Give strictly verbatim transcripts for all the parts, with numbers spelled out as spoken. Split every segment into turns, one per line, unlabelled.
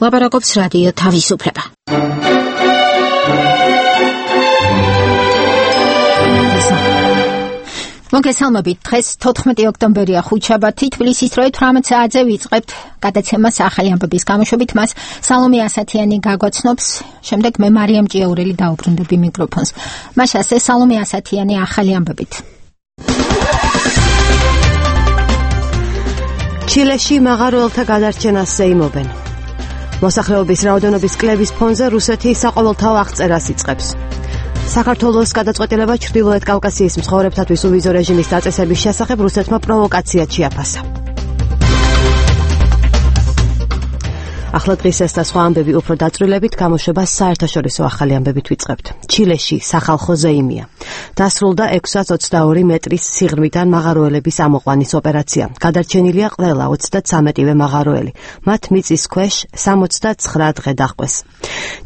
ლაპარაკობს რადიო თავისუფლება. მოგესალმებით, დღეს თოთხმეტი ოქტომბერია ხუთშაბათი, თბილისის დროით თვრამეტ საათზე ვიწყებთ გადაცემას ახალი ამბების გამოშვებით. მას სალომე ასათიანი გაგვაცნობს, შემდეგ მე მარიამ ჭიაურელი დაუბრუნდები მიკროფონს. მას ასე სალომე ასათიანი ახალი ამბებით.
ჩილეში მაღაროელთა გადარჩენას ზეიმობენ. მოსახლეობის რაოდენობის კლების ფონზე რუსეთი საყოველთაო აღწერას იწყებს. საქართველოს გადაწყვეტილება ჩრდილოეთ კავკასიის მცხოვრებთათვის უვიზო რეჟიმის დაწესების შესახებ რუსეთმა პროვოკაციად შეაფასა. ახლა დღის ეს და სხვა ამბები უფრო დაწვრილებით გამოშვებას საერთაშორისო ახალი ამბებით ვიწყებთ. ჩილეში სახალხო ზეიმია. დასრულდა ექვსას ოცდაორი მეტრის სიღრმიდან მაღაროელების ამოყვანის ოპერაცია. გადარჩენილია ყველა ოცდათვრამეტივე მაღაროელი. მათ მიწის ქვეშ სამოცდაცხრა დღე დაჰყვეს.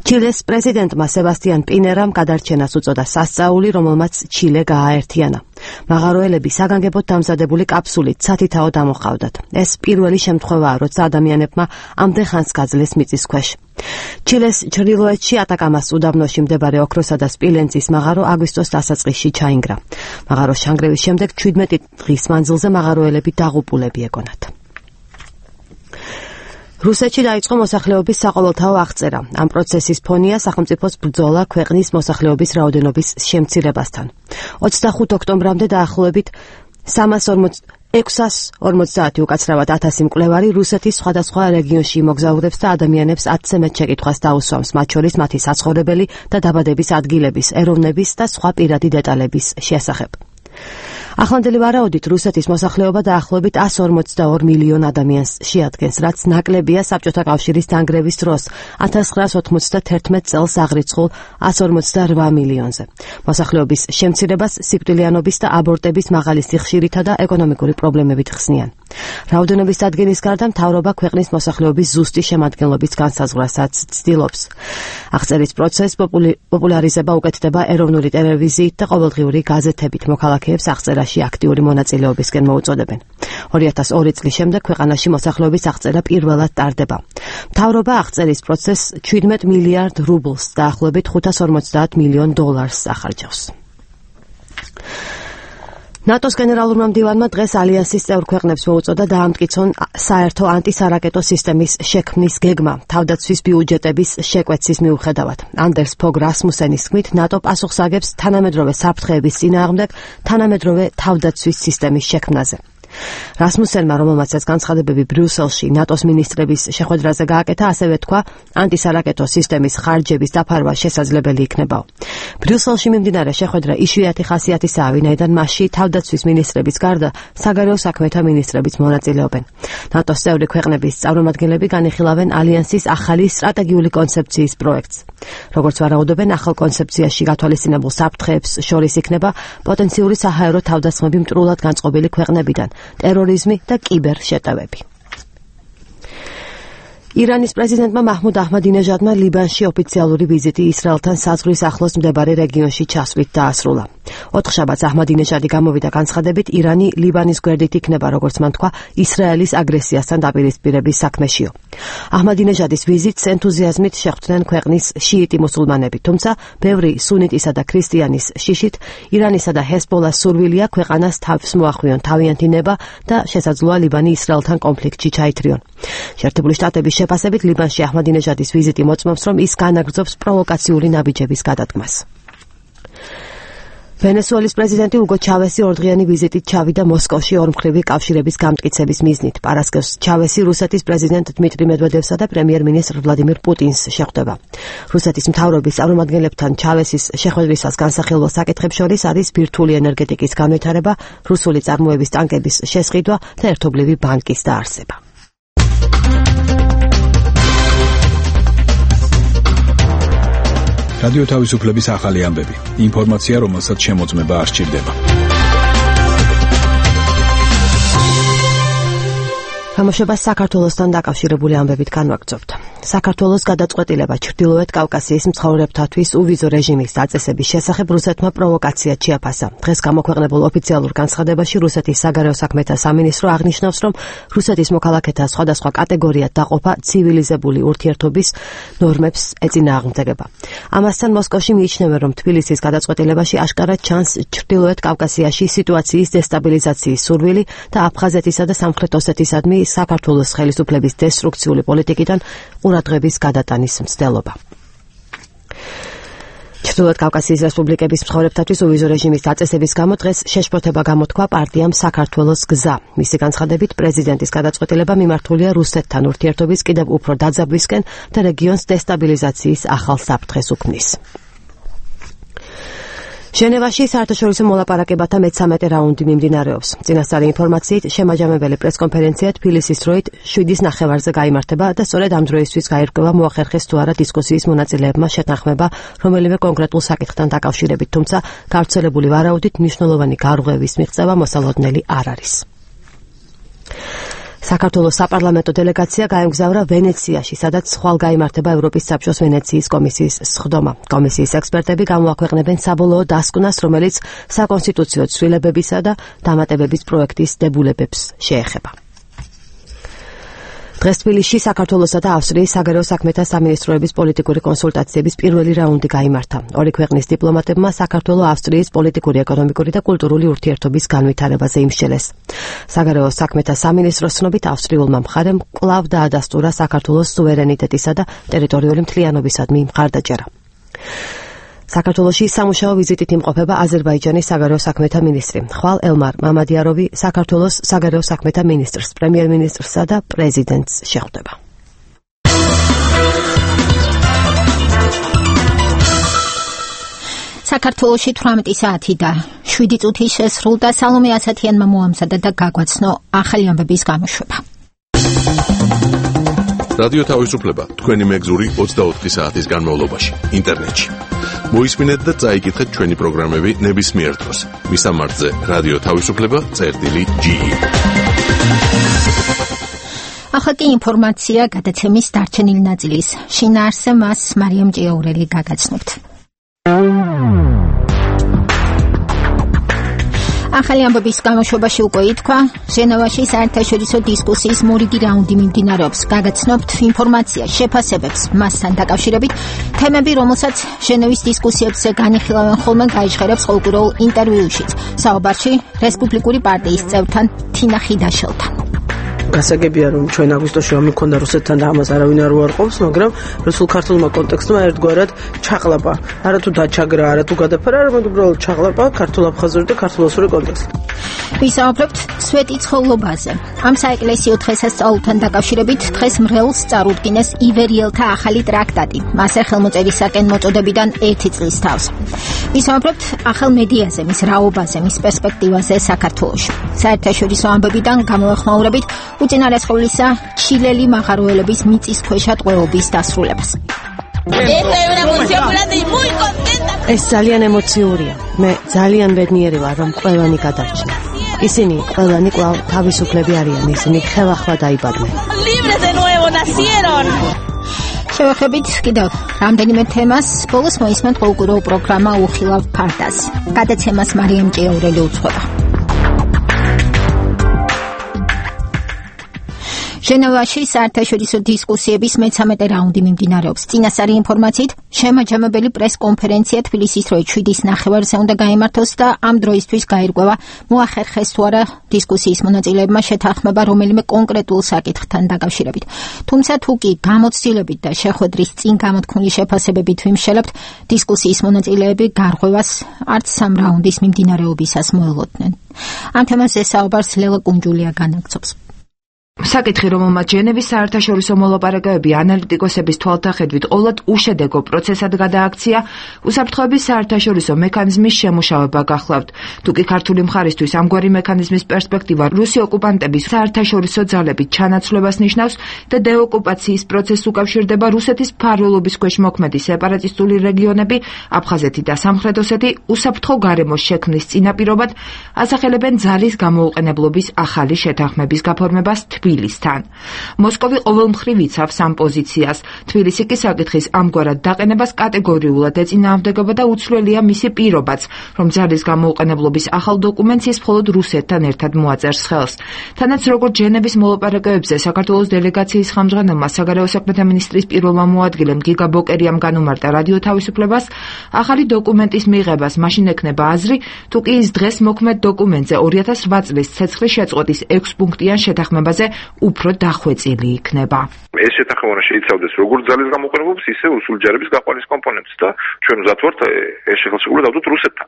ჩილეს პრეზიდენტმა სებასტიან პინერამ გადარჩენას უწოდა სასწაული, რომელმაც ჩილე გააერთიანა. მაღაროელები საგანგებოდ დამზადებული კაფსულით სათითაოდ ამოჰყავდათ. ეს პირველი შემთხვევაა, როცა ადამიანებმა ამდენ ხანს გაძლეს მიწის ქვეშ. ჩილეს ჩრდილოეთში ატაკამას უდაბნოში მდებარე ოქროსა და სპილენძის მაღარო აგვისტოს დასაწყისში ჩაინგრა. მაღაროს ჩანგრევის შემდეგ ჩვიდმეტი დღის მანძილზე მაღაროელები დაღუპულები ეგონათ. რუსეთში დაიწყო მოსახლეობის საყოველთაო აღწერა. ამ პროცესის ფონია სახელმწიფოს ბრძოლა ქვეყნის მოსახლეობის რაოდენობის შემცირებასთან. ოცდახუთ ოქტომბრამდე დაახლოებით ექვსას ორმოცდაათი უკაცრავად ათასი მკვლევარი რუსეთის სხვადასხვა რეგიონში მოგზაურებს და ადამიანებს ათზე მეტ შეკითხვას დაუსვამს, მათ შორის მათი საცხოვრებელი და დაბადების ადგილების, ეროვნების და სხვა პირადი დეტალების შესახებ. ახლანდელი ვარაუდით რუსეთის მოსახლეობა დაახლოებით εκατს ორმოცდაორ მილიონ ადამიანს შეადგენს, რაც ნაკლებია საბჭოთა კავშირის დანგრევის დროს ათას ცხრაას ოთხმოცდათერთმეტ წელს აღრიცხულ εκατს ორმოცდარვა მილიონზე. მოსახლეობის შემცირებას სიკვდილიანობის და აბორტების მაღალი სიხშირითა და ეკონომიკური პრობლემებით ხსნიან. რაოდენობის დადგენის გარდა მთავრობა ქვეყნის მოსახლეობის ზუსტი შემადგენლობის განსაზღვრავასაც ცდილობს. აღწერის პროცესს პოპულარიზება უკეთდება ეროვნული ტელევიზიით და ყოველდღიური გაზეთებით. მოქალაქეებს აღწერაში აქტიური მონაწილეობისკენ მოუწოდებენ. ორი ათას ორი წლის შემდეგ ქვეყანაში მოსახლეობის აღწერა პირველად ტარდება. მთავრობა აღწერის პროცესს შვიდმეტ მილიარდ რუბლს, დაახლოებით ხუთას ორმოცდაათ მილიონ დოლარს ახარჯავს. ნატოს გენერალურმა მდივანმა დღეს ალიანსის წევრ ქვეყნებს მოუწოდა დაამტკიცონ საერთო ანტისარაკეტო სისტემის შექმნის გეგმა თავდაცვის ბიუჯეტების შეკვეცის მიუხედავად. ანდერს ფოგ რასმუსენის თქმით, ნატო პასუხს აგებს თანამედროვე საფრთხეების წინააღმდეგ თანამედროვე თავდაცვის სისტემის შექმნაზე. რასმუსენმა, რომელმაც ეს განცხადებები ბრიუსელში ნატოს მინისტრების შეხვედრაზე გააკეთა, ასევე თქვა, ანტისარაკეტო სისტემის ხარჯების დაფარვა შესაძლებელი იქნებაო. ბრიუსელში მიმდინარე შეხვედრა იშვიათი ხასიათისაა, ვინაიდან მასში თავდაცვის მინისტრების გარდა საგარეო საქმეთა მინისტრებიც მონაწილეობენ. ნატოს წევრი ქვეყნების წარმომადგენლები განიხილავენ ალიანსის ახალი სტრატეგიული კონცეფციის პროექტს. როგორც ვარაუდობენ, ახალ კონცეფციაში გათვალისწინებულ საფრთხეებს შორის იქნება პოტენციური საჰაერო თავდასხმები მტრულად განწყობილი ქვეყნებიდან, ტერორიზმი და კიბერშეტევები. ირანის პრეზიდენტმა მაჰმუდ აჰმადინეჟადმა ლიბანში ოფიციალური ვიზიტი ისრაელთან საზღვრის ახლოს მდებარე რეგიონში ჩასვლით დაასრულა. ოთხშაბათს აჰმადინეჟადი გამოვიდა განცხადებით, ირანი ლიბანის გვერდით იქნება, როგორც მან თქვა, ისრაელის აგრესიასთან დაპირისპირების საქმეშიო. აჰმადინეჟადის ვიზიტს ენთუზიაზმით შეხვდნენ ქვეყნის შიიტი მუსულმანები, თუმცა ბევრი სუნიტისა და ქრისტიანის შიშით ირანისა და ჰეზბოლას სურვილია ქვეყანას თავს მოახვიონ თავიანთი ნება და შესაძლოა ლიბანი ისრაელთან კონფლიქტში ჩაითრიონ. შეერთებული შტატების შეფასებით ლიბანში აჰმადინეჟადის ვიზიტი მოწმობს, რომ ის განაგრძობს პროვოკაციული ნაბიჯების გადადგმას. ვენესუელის პრეზიდენტი უგო ჩავესი ორდღიანი ვიზიტით ჩავიდა მოსკოვში ორმხრივი კავშირების გამტკიცების მიზნით. პარასკევს ჩავესი რუსეთის პრეზიდენტ დმიტრი მედვედევსა და პრემიერ-მინისტრ ვლადიმირ პუტინს შეხვდება. რუსეთის მთავრობის წარმომადგენლებთან ჩავესის შეხვედრისას განსახილველ საკითხებს შორის არის ბირთვული ენერგეტიკის განვითარება, რუსული წარმოების ტანკების შესყიდვა და ერთობლივი ბანკის დაარსება.
რადიო თავისუფლების ახალი ამბები. ინფორმაცია, რომელსაც შემოწმება არ სჭირდება.
გამოშვებას საქართველოსთან დაკავშირებული ამბებით განვაგრძობთ. საქართველოს გადაწყვეტილება ჩრდილოეთ კავკასიის მცხოვრებთათვის უვიზო რეჟიმის დაწესების შესახებ რუსეთმა პროვოკაცია ჩიაფასა. დღეს გამოქვეყნებულ ოფიციალურ განცხადებაში რუსეთის საგარეო საქმეთა სამინისტრო აღნიშნავს, რომ რუსეთის მოქალაქეთა სხვადასხვა კატეგორიად დაყოფა ცივილიზებული ურთიერთობის ნორმებს ეწინააღმდეგება. ამასთან მოსკოვში მიიჩნევენ, რომ თბილისის გადაწყვეტილებაში აშკარად ჩანს ჩრდილოეთ კავკასიაში სიტუაციის დესტაბილიზაციის სურვილი და აფხაზეთისა და სამხრეთ ოსეთისადმი საქართველოს ხელისუფლების დესტრუქციული პოლიტიკიდან ყურადღების გადატანის მცდელობა. ჩრდილოეთ კავკასიის რესპუბლიკების მცხოვრებთათვის უვიზო რეჟიმის დაწესების გამო დღეს შეშფოთება გამოთქვა პარტიამ საქართველოს გზა. მისი განცხადებით, პრეზიდენტის გადაწყვეტილება მიმართულია რუსეთთან ურთიერთობის კიდევ უფრო დაძაბვისკენ და რეგიონს დესტაბილიზაციის ახალ საფრთხეს უქმნის. ჟენევაში საერთაშორისო მოლაპარაკებათა მეცამეტე რაუნდი მიმდინარეობს. წინასწარი ინფორმაციით, შემაჯამებელი პრესკონფერენცია თბილისის დროით შვიდის ნახევარზე გაიმართება და სწორედ ამ დროისთვის გაირკვევა მოახერხეს თუ არა დისკუსიის მონაწილეებმა შეთანხმება რომელიმე კონკრეტულ საკითხთან დაკავშირებით, თუმცა გავრცელებული ვარაუდით მნიშვნელოვანი გარღვევის მიღწევა მოსალოდნელი არ არის. საქართველოს საპარლამენტო დელეგაცია გაემგზავრა ვენეციაში, სადაც ხვალ გაიმართება ევროპის საბჭოს ვენეციის კომისიის სხდომა. კომისიის ექსპერტები გამოაქვეყნებენ საბოლოო დასკვნას, რომელიც საკონსტიტუციო ცვლილებებისა და დამატებების პროექტის დებულებებს შეეხება. დღეს თბილისში საქართველოსა და ავსტრიის საგარეო საქმეთა სამინისტროების პოლიტიკური კონსულტაციების პირველი რაუნდი გაიმართა. ორი ქვეყნის დიპლომატებმა საქართველო-ავსტრიის პოლიტიკური, ეკონომიკური და კულტურული ურთიერთობის განვითარებაზე იმსჯელეს. საგარეო საქმეთა სამინისტროს ცნობით, ავსტრიულმა მხარემ კვლავ დაადასტურა საქართველოს სუვერენიტეტისა და ტერიტორიული მთლიანობისადმი მხარდაჭერა. საქართველოში სამუშაო ვიზიტით იმყოფება აზერბაიჯანის საგარეო საქმეთა მინისტრი. ხვალ ელმარ მამადიაროვი საქართველოს საგარეო საქმეთა მინისტრს, პრემიერ-მინისტრსა და პრეზიდენტს შეხვდება.
საქართველოში თვრამეტი საათი და შვიდი წუთი შესრულდა. სალომე ასათიანმა მოამზადა და გაგვაცნო ახალი ამბების გამოშვება.
რადიო თავისუფლება თქვენი მეგზური ოცდაოთხი საათის განმავლობაში ინტერნეტში. მოისმინეთ და წაიკითხეთ ჩვენი პროგრამები ნებისმიერ დროს. მისამართზე რადიო თავისუფლება წერტილი ჯი.
ახლა კი ინფორმაცია გადაცემის დარჩენილი ნაწილის შინაარსზე, მას მარიამ ჭიაურელი გაგაცნობთ. ახალი ამბების გამოშვებაში უკვე ითქვა, ჟენევაში საერთაშორისო დისკუსიის მორიგი რაუნდი მიმდინარეობს. გაგაცნობთ ინფორმაცია შეფასებებს მასთან დაკავშირებით. თემები, რომელსაც ჟენევის დისკუსიებზე განიხილავენ ხოლმე, გაიჟღერებს ყოველკვირეულ ინტერვიუშიც. საუბარში რესპუბლიკური პარტიის წევრთან თინა ხიდაშელთან.
გასაგებია, რომ ჩვენ აგვისტოში რომ მქონდა რუსეთთან და ამას არავინ არ უარყოფს, მაგრამ რუსულ ქართულმა კონტექსტმა ერთგვარად ჩაყლაპა. არა თუ დაჩაგრა, არა თუ გადაფარა, არამედ უბრალოდ ჩაყლაპა ქართულ-აფხაზური და ქართულ-ოსური კონტექსტი.
ვისაუბრებთ სვეტიცხოვლობაზე. ამ საეკლესიო დღესასწაულთან დაკავშირებით დღეს მრევლს წარუდგინეს ივერიელთა ახალი ტრაქტატი. მასე ხელმოწერისაკენ მოწოდებიდან ერთი წლის თავს. ვისაუბრებთ ახალ მედიაზე, მის რაობაზე, მის პერსპექტივაზე საქართველოში. საერთაშორისო ამბებიდან გამოეხმაურებით უწინარესყავლისა ჩილელი მაღაროელების მიწისქვეშა ტყვეობის დასრულებას.
ეს ძალიან ემოციურია. მე ძალიან ბედნიერი ვარ, რომ ყველანი გადარჩა. ისინი ყველანი კვლავ თავისუფლები არიან, ისინი ხელახლა დაიბადნენ. შევეხებით კიდევ რამდენიმე თემას, ბოლოს მოისმენთ ყოველკვირეულ პროგრამა უხილავ ფარდას. გადაცემას მარიამ ჭიაურელი უძღვება. ჟენევაში საერთაშორისო დისკუსიების მეცამეტე რაუნდი მიმდინარეობს. წინასწარი ინფორმაციით, შემაჯამებელი პრესკონფერენცია თბილისის დროით შვიდის ნახევარზე უნდა გაიმართოს და ამ დროისთვის გაირკვევა მოახერხეს თუ არა დისკუსიის მონაწილეებმა შეთანხმება რომელიმე კონკრეტულ საკითხთან დაკავშირებით. თუმცა თუ კი გამოცდილებით და შეხვედრის წინ გამოთქმული შეფასებებით ვიმსჯელებთ, დისკუსიის მონაწილეები გარღვევას არც სამ რაუნდის მიმდინარეობისას მოელოდნენ. ამ თემაზე საუბარს ლელა კუნჯულია განაგრძობს.
საკითხი, რომელმაც ჟენევის საერთაშორისო მოლაპარაკებები ანალიტიკოსების თვალთახედვით ყოვლად უშედეგო პროცესად გადააქცია, უსაფრთხოების საერთაშორისო მექანიზმის შემუშავება გახლავთ. თუკი ქართული მხარისთვის ამგვარი მექანიზმის პერსპექტივა რუსი ოკუპანტების საერთაშორისო ძალებით ჩანაცვლებას ნიშნავს და დეოკუპაციის პროცესს უკავშირდება რუსეთის მფარველობის ქვეშ მოქმედი სეპარატისტული რეგიონები, აფხაზეთი და სამხრეთ ოსეთი უსაფრთხო გარემოს შექმნის წინაპირობად ასახელებენ ძალის გამოუყენებლობის ახალი შეთანხმების გაფორმებას თბილისთან. მოსკოვი ყოველმხრივ იცავს ამ პოზიციას. თბილისი კი საკითხის ამგვარად დაყენებას კატეგორიულად ეწინააღმდეგება და უცვლელია მისი პირობაც, რომ ძალის გამოუყენებლობის ახალ დოკუმენტს ის მხოლოდ რუსეთთან ერთად მოაწერს ხელს. თანაც როგორც ჟენევის მოლაპარაკებებზე საქართველოს დელეგაციის ხელმძღვანელმა საგარეო საქმეთა მინისტრის პირველმა მოადგილემ გიგა ბოკერიამ განუმარტა რადიო თავისუფლებას, ახალი დოკუმენტის მიღებას მაშინ ექნება აზრი, თუ კი ის დღეს მოქმედ დოკუმენტზე ორი ათას რვა წლის ცეცხლის შეწყვეტის ექვს პუნქტიან შეთანხმებაზე უფრო დახვეწილი იქნება.
ეს შეთანხმება შეიცავდეს როგორც ძალის გამოყენებებს, ისე რუსულჯარების გაყვანის კომპონენტს და ჩვენ ვზად ვართ ეს ხელშეკრულება დავდოთ რუსეთთან.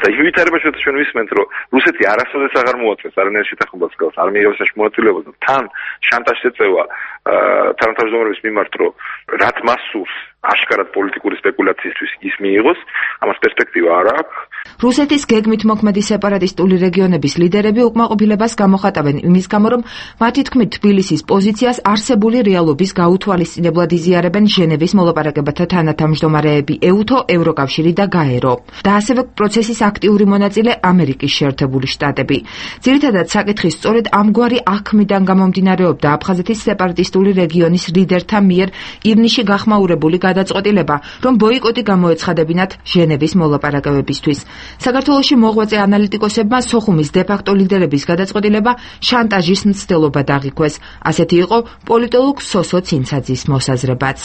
და ივითარებაში ჩვენ ვისმენთ, რომ რუსეთი არასოდეს აღარ მოაწეს არანაირ შეთანხმებას გავს, არ მიიღებს ეს მონაწილეობას და თან შანტაჟს ეწევა თანათავმჯდომარების მიმართ, რომ რაც მას სურს აშკარად პოლიტიკური სპეკულაციისთვის ის მიიღოს, ამას პერსპექტივა არ აქვს.
რუსეთის გეგმით მოქმედი სეპარატისტული რეგიონების ლიდერები უკმაყოფილებას გამოხატავენ იმის გამო, რომ მათი თქმით თბილისის პოზიციას არსებული რეალობის გაუთვალისწინებლად იზიარებენ ჟენევის მოლაპარაკებათა თანათავმჯდომარეები ეუთო, ევროკავშირი და გაერო. და ასევე პროცესის აქტიური მონაწილე ამერიკის შეერთებული შტატები. ძირითადად საკითხი სწორედ ამგვარი აქმიდან გამომდინარეობდა აფხაზეთის სეპარატისტული რეგიონის ლიდერთა მიერ ივნისში გახმაურებული გადაწყვეტილება, რომ ბოიკოტი გამოეცხადებინათ ჟენევის მოლაპარაკებებისთვის. საქართველოში მოღვაწე ანალიტიკოსებმა სოხუმის დე-ფაქტო ლიდერების გადაწყვეტილება შანტაჟის მცდელობად აღიქვეს. ასეთი იყო პოლიტოლოგ სოსო ცინცაძის მოსაზრებაც.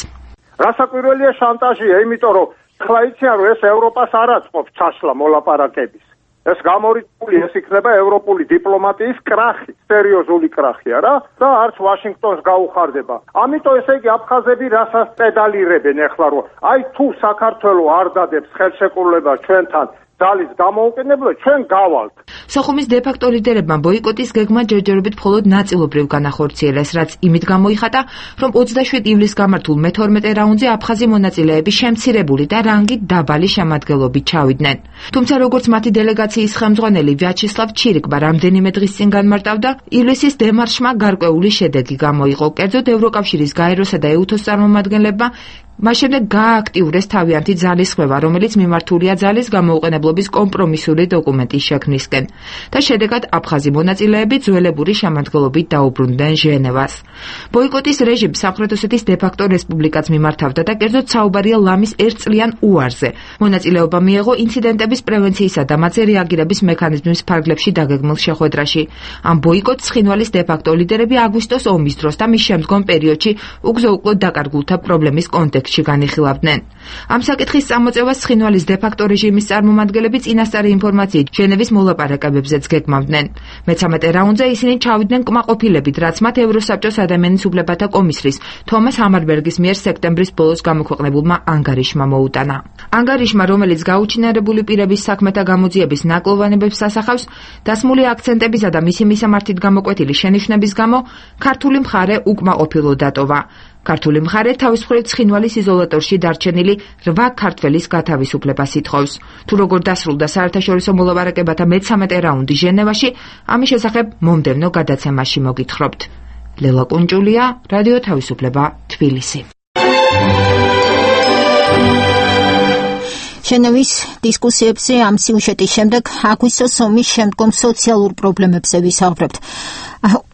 რასაკვირველია შანტაჟია, იმიტომ რომ ხლა იციან, რომ ეს ევროპას არ აწყობს ჩასვლა მოლაპარაკების. ეს გამორიცხული, ეს იქნება ევროპული დიპლომატიის კრახი, სერიოზული კრახია რა და არც ვაშინგტონს გაუხარდება. ამიტომ ესე იგი აფხაზები რასაც პედალირებენ ეხლა, რომ აი თუ საქართველოს არ დადებს ხელშეკრულება ჩვენთან ძალის გამოუყენებლად, ჩვენ გავალთ.
სოხუმის დე-ფაქტო ლიდერებმა ბოიკოტის გეგმა ჯერჯერობით მხოლოდ ნაწილობრივ განახორციელეს, რაც იმით გამოიხატა, რომ ოცდაშვიდ ივლისს გამართულ მეთორმეტე რაუნდზე აფხაზი მონაწილეები შემცირებული და რანგით დაბალი შემადგენლობით ჩავიდნენ. თუმცა როგორც მათი დელეგაციის ხელმძღვანელი ვიაჩესლავ ჩირიკბა რამდენიმე დღის წინ განმარტავდა, ივლისის დემარშმა გარკვეული შედეგი გამოიღო. კერძოდ ევროკავშირის გაეროსა და ეუთოს წარმომადგენლებმა მას შემდეგ გაააქტიურეს თავიანთი ძალის ხვევა, რომელიც მიმართულია ძალის გამოუყენებლობის კომპრომისული დოკუმენტის შექმნისკენ და შედეგად აფხაზი მონაწილეები ძველებური შემადგენლობით დაუბრუნდნენ ჟენევას. ბოიკოტის რეჟიმს სამხრეთ ოსეთის დე-ფაქტო რესპუბლიკაც მიმართავდა და კერძოდ საუბარია ლამის ერთწლიან უარზე. მონაწილეობა მიიღო ინციდენტების პრევენციისა და მათზე რეაგირების მექანიზმის ფარგლებში დაგეგმილ შეხვედრაში. ამ ბოიკოტს ცხინვალის დე-ფაქტო ლიდერები აგვისტოს ომის დროს და მის შემდგომ პერიოდში უგზო-უკვლოდ დაკარგულთა პრობლემის კონტექსტში განიხილავდნენ. ამ საკითხის წამოწევას ცხინვალის დე-ფაქტო რეჟიმის წარმომადგენლები წინასწარი ინფორმაციით ჟენევის მოლაპარაკებებზეც გეგმავდნენ. მეცამეტე რაუნდზე ისინი ჩავიდნენ კმაყოფილებით, რაც მათ ევროსაბჭოს ადამიანის უფლებათა კომისრის თომას ჰამარბერგის მიერ სექტემბრის ბოლოს გამოქვეყნებულმა ანგარიშმა მოუტანა. ანგარიშმა, რომელიც გაუჩინარებული პირების საქმეთა გამოძიების ნაკლოვანებებს ასახავს, დასმული აქცენტებისა და მისი მისამართით გამოკვეთილი შენიშვნების გამო ქართული მხარე უკმაყოფილო დატოვა. ქართული მხარე თავის მხრივ ცხინვალის იზოლატორში დარჩენილი რვა ქართველის გათავისუფლებას ითხოვს. თუ როგორ დასრულდა საერთაშორისო მოლაპარაკებათა მეცამეტე რაუნდი ჟენევაში, ამის შესახებ მომდევნო გადაცემაში მოგითხრობთ. ლელა კუნჭულია, რადიო თავისუფლება, თბილისი.
ჟენევის დისკუსიებზე ამ სიუჟეტის შემდეგ აგვისტოს ომის შემდგომ სოციალურ პრობლემებზე ვისაუბრებთ.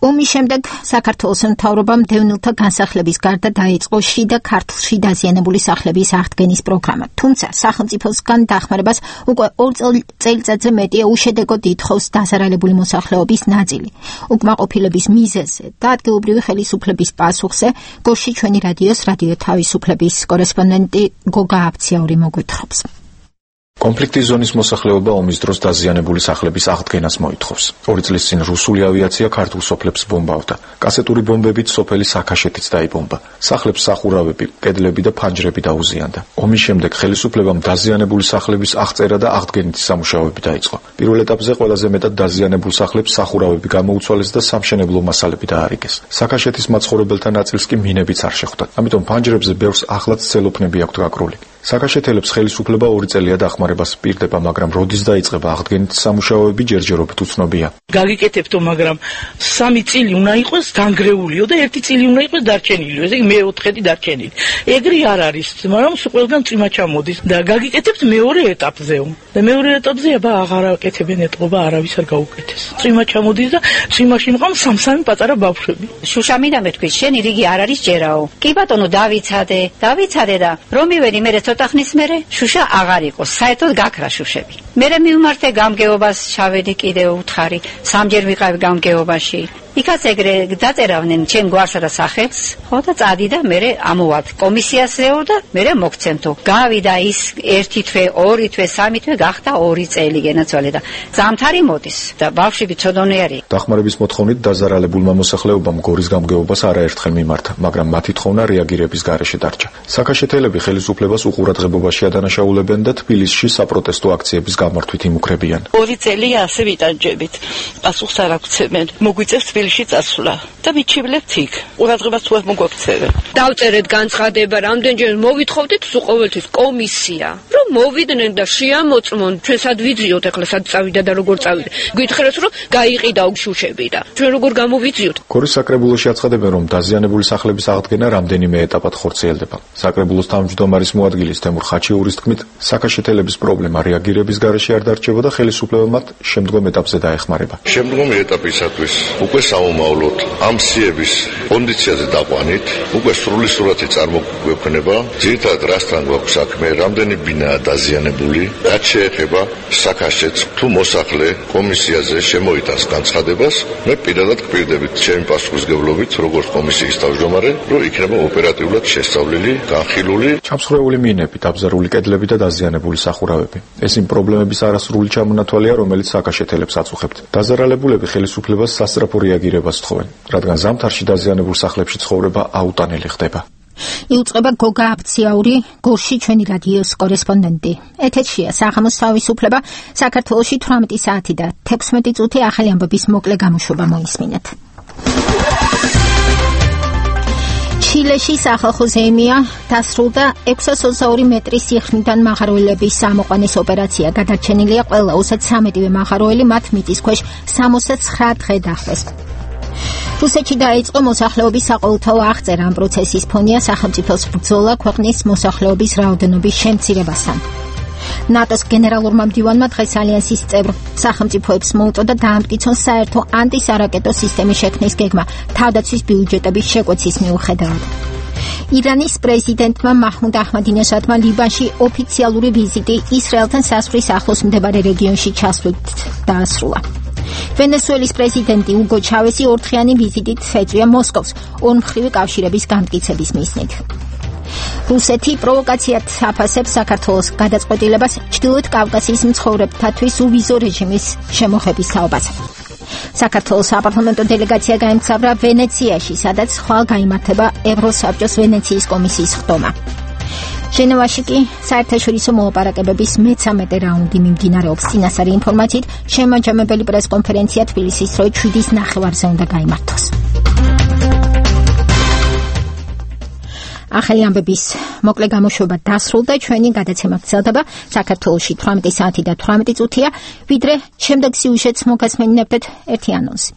ომის შემდეგ საქართველოს მთავრობამ დევნილთა განსახლების გარდა დაიწყო შიდა ქართლში დაზიანებული სახლების აღდგენის პროგრამა. თუმცა სახელმწიფოსგან დახმარებას უკვე ორ წელიწადზე მეტია უშედეგოდ ითხოვს დაზარალებული მოსახლეობის ნაწილი. უკმაყოფილების მიზეზზე და ადგილობრივი ხელისუფლების პასუხზე გორში ჩვენი რადიოს რადიო თავისუფლების კორესპონდენტი გოგა აფციაური მოგვითხრობს.
კონფლიქტის ზონის მოსახლეობა ომის დროს დაზიანებული სახლების აღდგენას მოითხოვს. ორი წლის წინ რუსული ავიაცია ქართულ სოფლებს ბომბავდა. კასეტური ბომბებით სოფელი საქაშეთიც დაიბომბა. სახლებს სახურავები, კედლები და ფანჯრები დაუზიანდა. ომის შემდეგ ხელისუფლებამ დაზიანებული სახლების აღწერა და აღდგენის სამუშაოები დაიწყო. პირველ ეტაპზე ყველაზე მეტად დაზიანებულ სახლებს სახურავები გამოუცვალეს და სამშენებლო მასალები დაარიგეს. საქაშეთის მაცხოვრებელთა ნაწილს კი მინებიც არ შეხვდათ. ამიტომ ფანჯრებზე ბევრს ახლაც ცელოფნები აქვთ გაკრული. საკაშეთელებს ხელისუფლება ორი წელია დახმარებას პირდება, მაგრამ როდის დაიწყება აღდგენით სამუშაოები ჯერჯერობით უცნობია.
გაგიკეთებთო, მაგრამ სამი წილი უნდა იყოს განგრეულიო და ერთი წილი უნდა იყოს დარჩენილიო. ესე იგი მეოთხედი დარჩენილი. ეგრე არ არის, მაგრამ ყველგან წიმა ჩამოდის და გაგიკეთებთ მეორე ეტაპზეო. და მეორე ეტაპზე აბა აღარ აკეთებენ ეტყობა, არავის არ გაუკეთეს. წიმა ჩამოდის და წიმაში მყავს სამ-სამი პატარა ბავშვები.
შუშა მინდა მეთქვი, შენი რიგი არ არის ჯერაო. კი ბატონო, დავიცადე, დავიცადე და რომ მივედი მერე ცოტა ხნის მერე შუშა აღარ იყოს. საერთოდ გაქრა შუშები. მერე მივმართე გამგეობას, ჩავედი კიდევ უთხარი, სამჯერ ვიყავი გამგეობაში. იქაც ეგრე დაწერავდნენ ჩემ გვარსა და სახებს, ხო და წადი და მერე ამოვად კომისიას ვეორ და მერე მოგცემთო. გავიდა ის ერთი თვე, ორი თვე, სამი თვე, გახდა ორი წელი გენაცვალე და ზამთარი მოდის და ბავშვები ცოდონიერი.
დახმარების მოთხოვნით დაზარალებულმა მოსახლეობამ გორის გამგეობას არაერთხელ მიმართა, მაგრამ მათი თხოვნა რეაგირების გარეშე დარჩა. საკაშეთელები ხელისუფლებას უყურადღებობაში ადანაშაულებენ და თბილისში საპროტესტო აქციების გამართვით იმუქრებიან.
ორი წელი ასე ვიტანჯებით. პასუხს არ აქცევენ. მოგვიწევს თბილისში წასვლა და მიჩივლებთ იქ. ყურადღებას თუ არ მოგვაქცევენ.
დავწერეთ განცხადება, რამდენჯერ მოვითხოვდით თუ ყოველთვის კომისია, რომ მოვიდნენ და შეამოწმონ, ჩვენ სად ვიძიოთ ახლა სად წავიდა და როგორ წავიდა. გითხრათ რომ გაიყიდა შუშები და ჩვენ როგორ გამოვიძიოთ.
გორის საკრებულოში აცხადებენ, რომ დაზიანებული სახლების აღდგენა რამდენიმე ეტაპად ხორციელდება. საკრებულოს თავმჯდომარის მოადგილის თემურ ხაჩიურის თქმით, საკაშეთელების პრობლემა რეაგირების გარეშე არ დარჩება და ხელისუფლება მათ შემდგომ ეტაპზე დაეხმარება.
შემდგომი ეტაპისათვის უკვე საომავლოდ ამ სიების კონდიციაზე დაყვანით, უკვე სრული სურათი წარმოგვექნება, ძირითადად რასთან გვაქვს საქმე, რამდენი ბინაა დაზიანებული, რაც შეეხება საკაშეთს, თუ მოსახლე კომისიაზე შემოიტანს განცხადებას, მე პირადად გპირდებით ჩემი პასუხისმგებლობით, როგორც კომისიის თავმჯდომარე, რომ იქნება ოპერატიულად შესწავლილი, განხილული.
ჩამსხვრეული მინები, დაბზარული კედლები და დაზიანებული სახურავები. ეს იმ პრობლემების არასრული ჩამონათვალია, რომელიც საკაშეთელებს აწუხებთ. დაზარალებულები ხელისუფლებას სასწრაფო რეაგირებას თხოვენ, რადგან ზამთარში დაზიანებულ სახლებში ცხოვრება აუტანელი ხდება.
იუწყება გოგა აფციაური, გორში ჩვენი რადიოს კორესპონდენტი. ეთერშია საღამოს თავისუფლება, საქართველოში თვრამეტი საათი და თექვსმეტი წუთი. ახალი ამბების მოკლე გამოშვება მოისმინეთ. ჩილეში სახალხო ზეიმია დასრულდა ექვსას ოცდაორი მეტრის სიხნიდან მაღაროელების ამოყვანის ოპერაცია. გადარჩენილია ყველა ოცდამეტივე მაღაროელი, მათ მიწისქვეშ სამოცდაცხრა დღე დახვეს. რუსეთში დაიწყო მოსახლეობის საყოველთაო აღწერა. ამ პროცესის ფონია სახელმწიფოს ბრძოლა ქვეყნის მოსახლეობის რაოდენობის შემცირებასთან. ნატოს გენერალურმა მდივანმა დღეს ალიანსის წევრ სახელმწიფოებს მოუწოდა დაამტკიცონ საერთო ანტისარაკეტო სისტემის შექმნის გეგმა თავდაცვის ბიუჯეტების შეკვეცის მიუხედავად. ირანის პრეზიდენტმა მაჰმუდ აჰმადინეჟადმა ლიბანში ოფიციალური ვიზიტი ისრაელთან საზღვრის ახლოს მდებარე რეგიონში ჩასვლით დაასრულა. ვენესუელის პრეზიდენტი უგო ჩავესი ორდღიანი ვიზიტით ეწვია მოსკოვს ორმხრივი კავშირების განმტკიცების მიზნით. რუსეთი პროვოკაციად აფასებს საქართველოს გადაწყვეტილებას ჩრდილოეთ კავკასიის მცხოვრებთათვის უვიზო რეჟიმის შემოღების თაობას. საქართველოს საპარლამენტო დელეგაცია გაემგზავრა ვენეციაში, სადაც ხვალ გაიმართება ევროსაბჭოს ვენეციის კომისიის ხდომა. ჟენევაში კი საერთაშორისო მოლაპარაკებების მეცამეტე რაუნდი მიმდინარეობს. წინასწარი ინფორმაციით, შემაჯამებელი პრესკონფერენცია თბილისის როი შვიდის ნახევარზე უნდა გაიმართოს. ახალი ამბების მოკლე გამოშვება დასრულდა. ჩვენი გადაცემა გრძელდება. საქართველოში თვრამეტი საათი და თვრამეტი წუთია. ვიდრე შემდეგ სიუჟეტს მოგესმენინებთ ერთი ანონსი.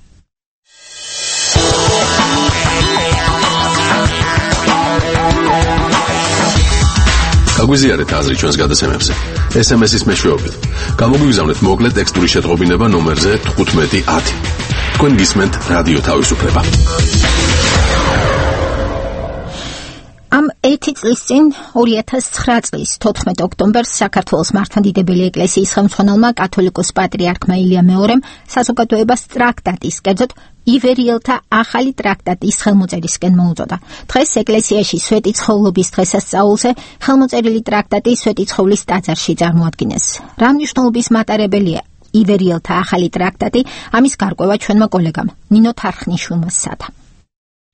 გაგვიზიარეთ აზრი ჩვენს გადაცემებზე. ეს ემ ეს-ის მეშვეობით. გამოგვიგზავნეთ მოკლე ტექსტური შეტყობინება ნომერზე თხუთმეტი ათი. თქვენ გისმენთ რადიო თავისუფლება.
ამ ერთი წლის წინ ორი ათას ცხრა წლის თოთხმეტ ოქტომბერს საქართველოს მართლმადიდებელი ეკლესიის ხელმძღვანელმა კათოლიკოს პატრიარქმა ილია მეორემ საზოგადოებას ტრაქტატის, კერძოდ ივერიელთა ახალი ტრაქტატის ხელმოწერისკენ მოუწოდა. დღეს ეკლესიაში სვეტიცხოვლობის დღესასწაულზე ხელმოწერილი ტრაქტატი სვეტიცხოვლის ტაძარში წარმოადგინეს. რა მნიშვნელობის მატარებელია ივერიელთა ახალი ტრაქტატი? ამის გარკვევა ჩვენმა კოლეგამ ნინო თარხნიშვილმა სცადა.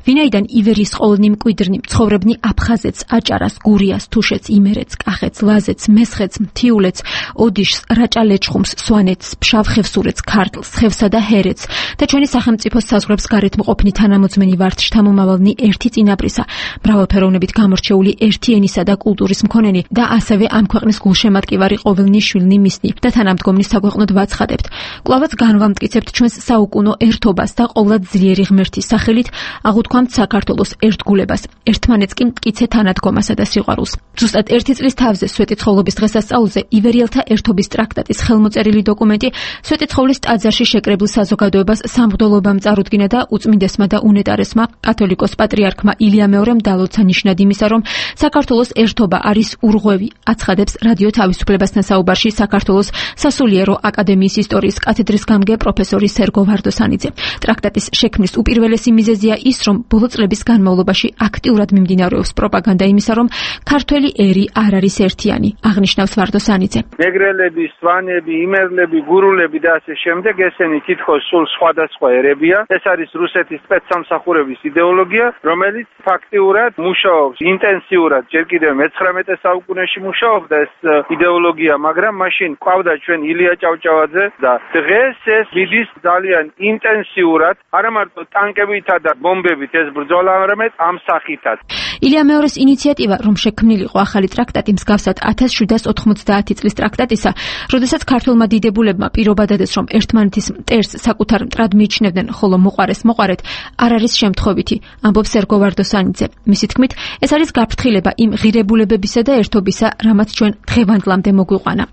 ვინაიდან ივერიის ყოლნი მკვიდრნი ცხოვრებნი აფხაზეთს, აჭარას, გურიას, თუშეთს, იმერეთს, კახეთს, ლაზეთს, მესხეთს, მთიულეთს, ოდიშს, რაჭა-ლეჩხუმს, სვანეთს, ფშავ-ხევსურეთს, ქართლს, ხევსა და ჰერეთს და ჩვენი სახელმწიფოს საზღვრებს გარეთ მყოფნი თანამოძმენი ვართ შთამომავალნი ერთი წინაპრისა, მრავალფეროვნებით გამორჩეული ერთი ენისა და კულტურის მქონენი და ასევე ამ ქვეყნის გულშემატკივარი ყოველნი შვილნი მისნი და თანამდგომნი საქვეყნოდ ვაცხადებთ. კვლავაც განვამტკიცებთ ჩვენს საუკუნო ერთობას და ყოვლად ძლიერი ღმერთის სახელით აღუთქვამთ საქართველოს ერთგულებას, ერთმანეთს კი მტკიცე თანადგომასა და სიყვარულს. ზუსტად ერთი წლის თავზე სვეტიცხოვლობის დღესასწაულზე ივერიელთა ერთობის ტრაქტატის ხელმოწერილი დოკუმენტი სვეტიცხოვლის ტაძარში შეკრებილ საზოგადოებას სამღვდელობამ წარუდგინა და უწმინდესმა და უნეტარესმა კათოლიკოს პატრიარქმა ილია მეორემ დალოცა ნიშნად იმისა, რომ საქართველოს ერთობა არის ურღვევი, აცხადებს რადიო თავისუფლებასთან საუბარში საქართველოს სასულიერო აკადემიის ისტორიის კათედრის გამგე პროფესორი სერგო ვარდოსანიძე. ტრაქტატის შექმნის უპირველესი მიზეზია ის, რომ ბოლო წლების განმავლობაში აქტიურად მიმდინარეობს პროპაგანდა იმისა, რომ ქართველი ერი არ არის ერთიანი, აღნიშნავს ვარდოსანიძე.
მეგრელები, სვანები, იმერლები, გურულები და ასე შემდეგ ესენი თითქოს სულ სხვადასხვა ერებია. ეს არის რუსეთის სპეცსამსახურების იდეოლოგია, რომელიც ფაქტიურად მუშაობს ინტენსიურად ჯერ კიდევ მეცხრამეტე საუკუნეში მუშაობდა ეს იდეოლოგია, მაგრამ მაშინ ყავდა ჩვენ ილია ჭავჭავაძე და დღეს ეს მიდის ძალიან ინტენსიურად, არა მარტო ტანკებითა და ბომბებით ეს ბრძოლა, არამედ ამ სახითაც.
ილია მეორის ინიციატივა, რომ შექმნილიყო ახალი ტრაქტატი მსგავსად ათას შვიდას ოთხმოცდაათი წლის ტრაქტატისა, როდესაც ქართველმა დიდებულებმა პირობა დადეს, რომ ერთმანეთის მტერს საკუთარ მტრად მიიჩნევდნენ, ხოლო მოყარეს მოყარეთ, არ არის შემთხვევითი, ამბობს სერგო ვარდოსანიძე. მისი თქმით, ეს არის გაფრთხილება იმ ღირებულებებისა და ერთობისა, რამაც ჩვენ დღევანდლამდე მოგვიყვანა.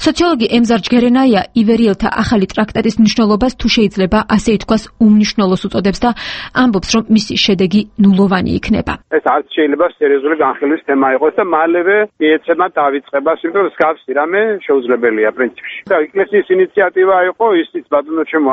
სოციოლოგი ემზარ ჯგერენაია ივერიელთა ახალი ტრაქტატის მნიშვნელობას თუ შეიძლება ასე ითქვას უმნიშვნელოს უწოდებს და ამბობს, რომ მისი შედეგი ნულოვანი იქნება.
ეს არც შეიძლება სერიოზული განხილვის თემა იყოს და მალევე მიეცემა დავიწყებას, იმიტომ რომ მსგავსი რამე შეუძლებელია პრინციპში. და ეკლესიის ინიციატივა იყო ისიც ბატონო ჩემო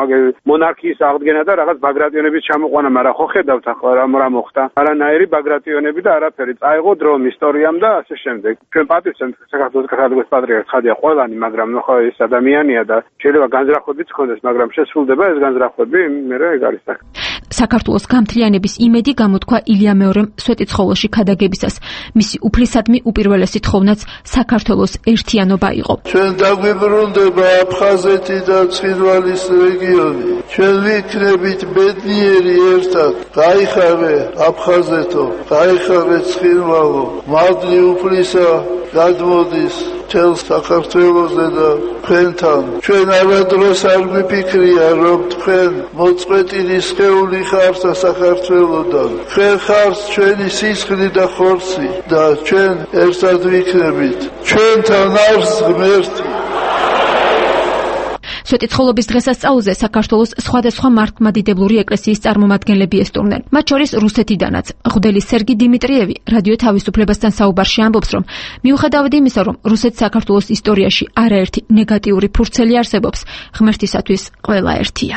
მონარქიის აღდგენა და რაღაც ბაგრატიონების ჩამოყვანა, მაგრამ ხო ხედავთ ახლა რა რა მოხდა. არანაირი ბაგრატიონები და არაფერი. წაიღო დრომ ისტორიამ და ასე შემდეგ. ჩვენ პატივცემთ საქართველოს კათოლიკოს პატრიარქს ხადია ყველანი, მაგრამ ნუ ხო ეს ადამიანია და შეიძლება განზრახვებიც ჰქონდეს, მაგრამ შესრულდება ეს განზრახვები, მე რა ეგ არის საქმე.
საქართველოს გამთლიანების იმედი გამოთქვა ილია მეორემ სვეტიცხოველში ქადაგებისას. მისი უფლისადმი უპირველესი თხოვნაც საქართველოს ერთიანობა იყო.
ჩვენ დაგვიბრუნდება აფხაზეთი და ცხინვალის რეგიონი. ჩვენ ვიქნებით ბედნიერი ერთად. გაიხარე აფხაზეთო, გაიხარე ცხინვალო, მადლი უფლისა გადმოდის თელ საქართველოზე და თქვენთან. ჩვენ არადროს არ გვიფიქრია, რომ თქვენ მოწყვეტილი სხეული ხართ საქართველოდან. თქვენ ხართ ჩვენი სისხლი და ხორცი და ჩვენ ერთად ვიქნებით. ჩვენთან არის ღმერთი.
სვეტიცხოვლობის დღესასწაულზე საქართველოს სხვადასხვა მართლმადიდებლური ეკლესიის წარმომადგენლები ესტუმრნენ. მათ შორის რუსეთიდანაც. მღვდელი სერგი დიმიტრიევი რადიო თავისუფლებასთან საუბარში ამბობს, რომ მიუხედავად იმისა, რომ რუსეთს საქართველოს ისტორიაში არაერთი ნეგატიური ფურცელი არსებობს, ღმერთისათვის ყველა ერთია.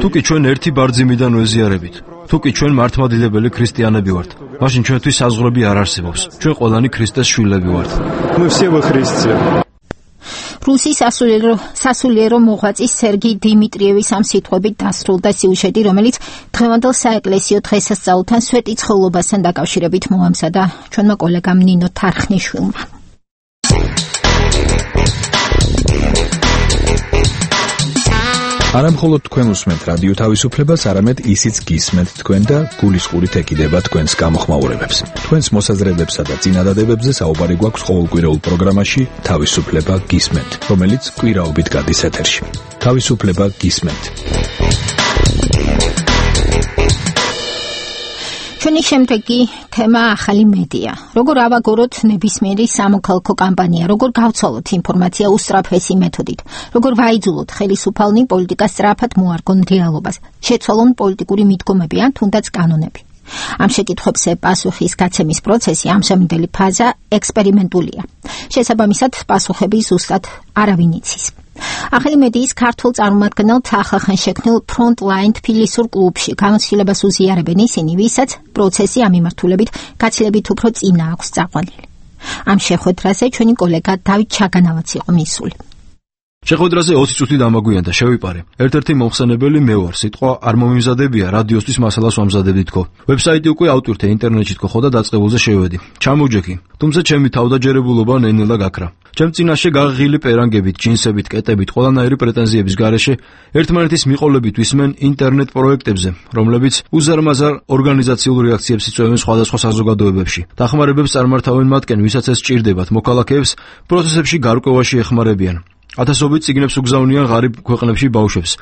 თუკი ჩვენ ერთი ბარძიმიდან ვეზიარებით, თუკი ჩვენ მართლმადიდებელი ქრისტიანები ვართ, მაშინ ჩვენთვის საზღვრები არ არსებობს. ჩვენ ყველანი ქრისტეს შვილები ვართ.
რუსის სასულიერო სასულიერო მოღვაწის სერგი დიმიტრიევის ამ სიტყვებით დასრულდა სიუჟეტი, რომელიც დღევანდელ საეკლესიო დღესასწაულთან სვეტიცხოვლობასთან დაკავშირებით მოამზადა ჩვენმა კოლეგამ ნინო თარხნიშვილმა.
არა მხოლოდ თქვენ უსმენთ რადიო თავისუფლებას, არამედ ისიც გისმენთ თქვენ და გულისყურით ეკიდება თქვენს გამოხმაურებებს. თქვენს მოსაზრებებსა და წინადადებებზე საუბარი გვაქვს ყოველკვირეულ პროგრამაში თავისუფლება გისმენთ, რომელიც კვირაობით გადის ეთერში. თავისუფლება გისმენთ.
ჩვენი შემდეგი თემა ახალი მედია. როგორ ავაგოროთ ნებისმიერი სამოქალაქო კამპანია, როგორ გავცვალოთ ინფორმაცია უსწრაფესი მეთოდით, როგორ ვაიძულოთ ხელისუფალნი პოლიტიკას სწრაფად მოარგონ რეალობას, შეცვალონ პოლიტიკური მიდგომები ან თუნდაც კანონები. ამ შეკითხვებზე პასუხის გაცემის პროცესი ამჟამინდელი ფაზა ექსპერიმენტულია. შესაბამისად, პასუხები ზუსტად არავინ იცის. ახალი მედიის ქართულ წარმომადგენელთ ახლახან შექმნილ ფრონტლაინ თბილისურ კლუბში განხილებას უზიარებენ ისინი, ვისაც პროცესი ამ მიმართულებით გაცილებით უფრო წინა აქვს წაყვანილი. ამ შეხვედრაზე ჩვენი კოლეგა დავით ჩაგანავაც იყო მისული.
შეხვედრაზე ოცი წუთი დამაგვიანდა, შევიპარე. ერთ-ერთი მომხსენებელი მე ვარ, სიტყვა არ მომიმზადებია, რადიოსთვის მასალას ვამზადებდი თქო. ვებსაიტი უკვე ავტვირთე ინტერნეტში თქო ხო და დაწყებულზე შევედი. ჩამოვჯექი. თუმცა ჩემი თავდაჯერებულობა ნენელა გაქრა. ჩემ წინაშე გაღილი პერანგებით, ჯინსებით, კეტებით, ყველანაირი პრეტენზიების გარეშე ერთმანეთის მიყოლებით ვისმენ ინტერნეტ პროექტებზე, რომლებიც უზარმაზარ ორგანიზაციულ რეაქციებს იწვევენ სხვადასხვა საზოგადოებებში. დახმარებებს წარმართავენ მათკენ, ვისაც ეს სჭირდებათ, მოქალაქეებს პროცესებში გარკვევაში ეხმარებიან. ათასობით წიგნებს უგზავნიან ღარიბ ქვეყნებში ბავშვებს.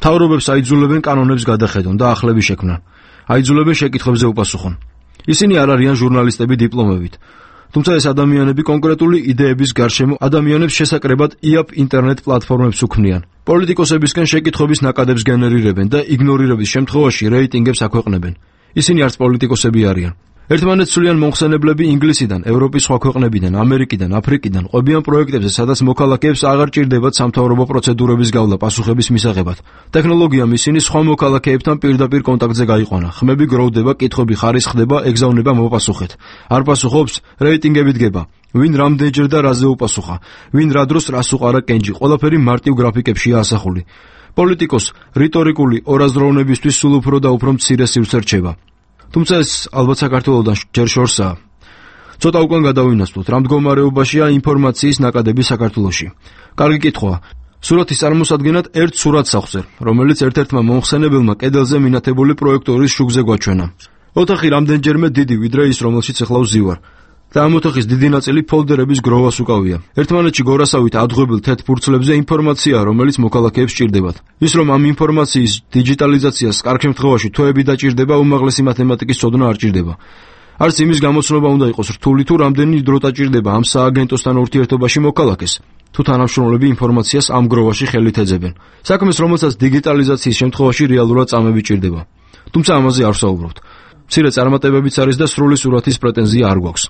მთავრობებს აიძულებენ კანონებს გადახედონ და ახლები შექმნან. აიძულებენ შეკითხვებზე უპასუხონ. ისინი არ არიან ჟურნალისტები დიპლომებით. თუმცა ეს ადამიანები კონკრეტული იდეების გარშემო ადამიანებს შესაკრებად იაპ ინტერნეტ პლატფორმებს უქმნიან. პოლიტიკოსებისგან შეკითხვების ნაკადებს გენერირებენ და იგნორირების შემთხვევაში რეიტინგებს აქვეყნებენ. ისინი არც პოლიტიკოსები არიან. ერთმანეთს სულიან მომხსენებლები ინგლისიდან, ევროპის სხვა ქვეყნებიდან, ამერიკიდან, აფრიკიდან ყვებიან პროექტებზე, სადაც მოქალაქეებს აღარ ჭირდებათ სამთავრობო პროცედურების გავლა პასუხების მისაღებად. ტექნოლოგიამ ისინი სხვა მოქალაქეებთან პირდაპირ კონტაქტზე გაიყვანა. ხმები გროვდება, კითხვები ხარისხდება, ეგზავნება მოპასუხეთ. არ პასუხობს, რეიტინგები დგება. ვინ რამდენჯერ და რაზე უპასუხა, ვინ რა დროს რას უყარა კენჭი, ყველაფერი მარტივ გრაფიკებშია ასახული. პოლიტიკოს რიტორიკული ორაზროვნებისთვის სულ უფრო და უფრო მცირე სივრცე რჩება. თუმცა ეს ალბათ საქართველოსთან ჯერ შორსაა. ცოტა უკან გადავინაცვლოთ, რა მდგომარეობაშია ინფორმაციის ნაკადები საქართველოში. კარგი კითხვაა. სურათის წარმოსადგენად ერთ სურათს ახსენ, რომელიც ერთ-ერთმა მომხსენებელმა კედელზე მინათებული პროექტორის შუქზე გვაჩვენა. ოთახი რამდენჯერმე დიდი ვიდრე ის, რომელშიც ახლა ვზივარ. და ამ ოთახის დიდი ნაწილი ფოლდერების გროვას უკავია. ერთმანეთში გორასავით ადღვებილ თეთრ ფურცლებზე ინფორმაცია, რომელიც მოქალაქეებს სჭირდებათ. ის რომ ამ ინფორმაციის დიჯიტალიზაციას კარგ შემთხვევაში თვეები დაჭირდება, უმაღლესი მათემატიკის ცოდნა არ ჭირდება. არც იმის გამოცნობა უნდა იყოს რთული, თუ რამდენი დრო დაჭირდება ამ სააგენტოსთან ურთიერთობაში მოქალაქეს. თუ თანამშრომლები ინფორმაციას ამ გროვაში ხელით ეძებენ. საქმეს, რომელსაც დიგიტალიზაციის შემთხვევაში რეალურად წამები ჭირდება. თუმცა ამაზე არ ვსაუბრობთ. მცირე წარმატებებიც არის და სრული სურათის პრეტენზია არ გვაქვს.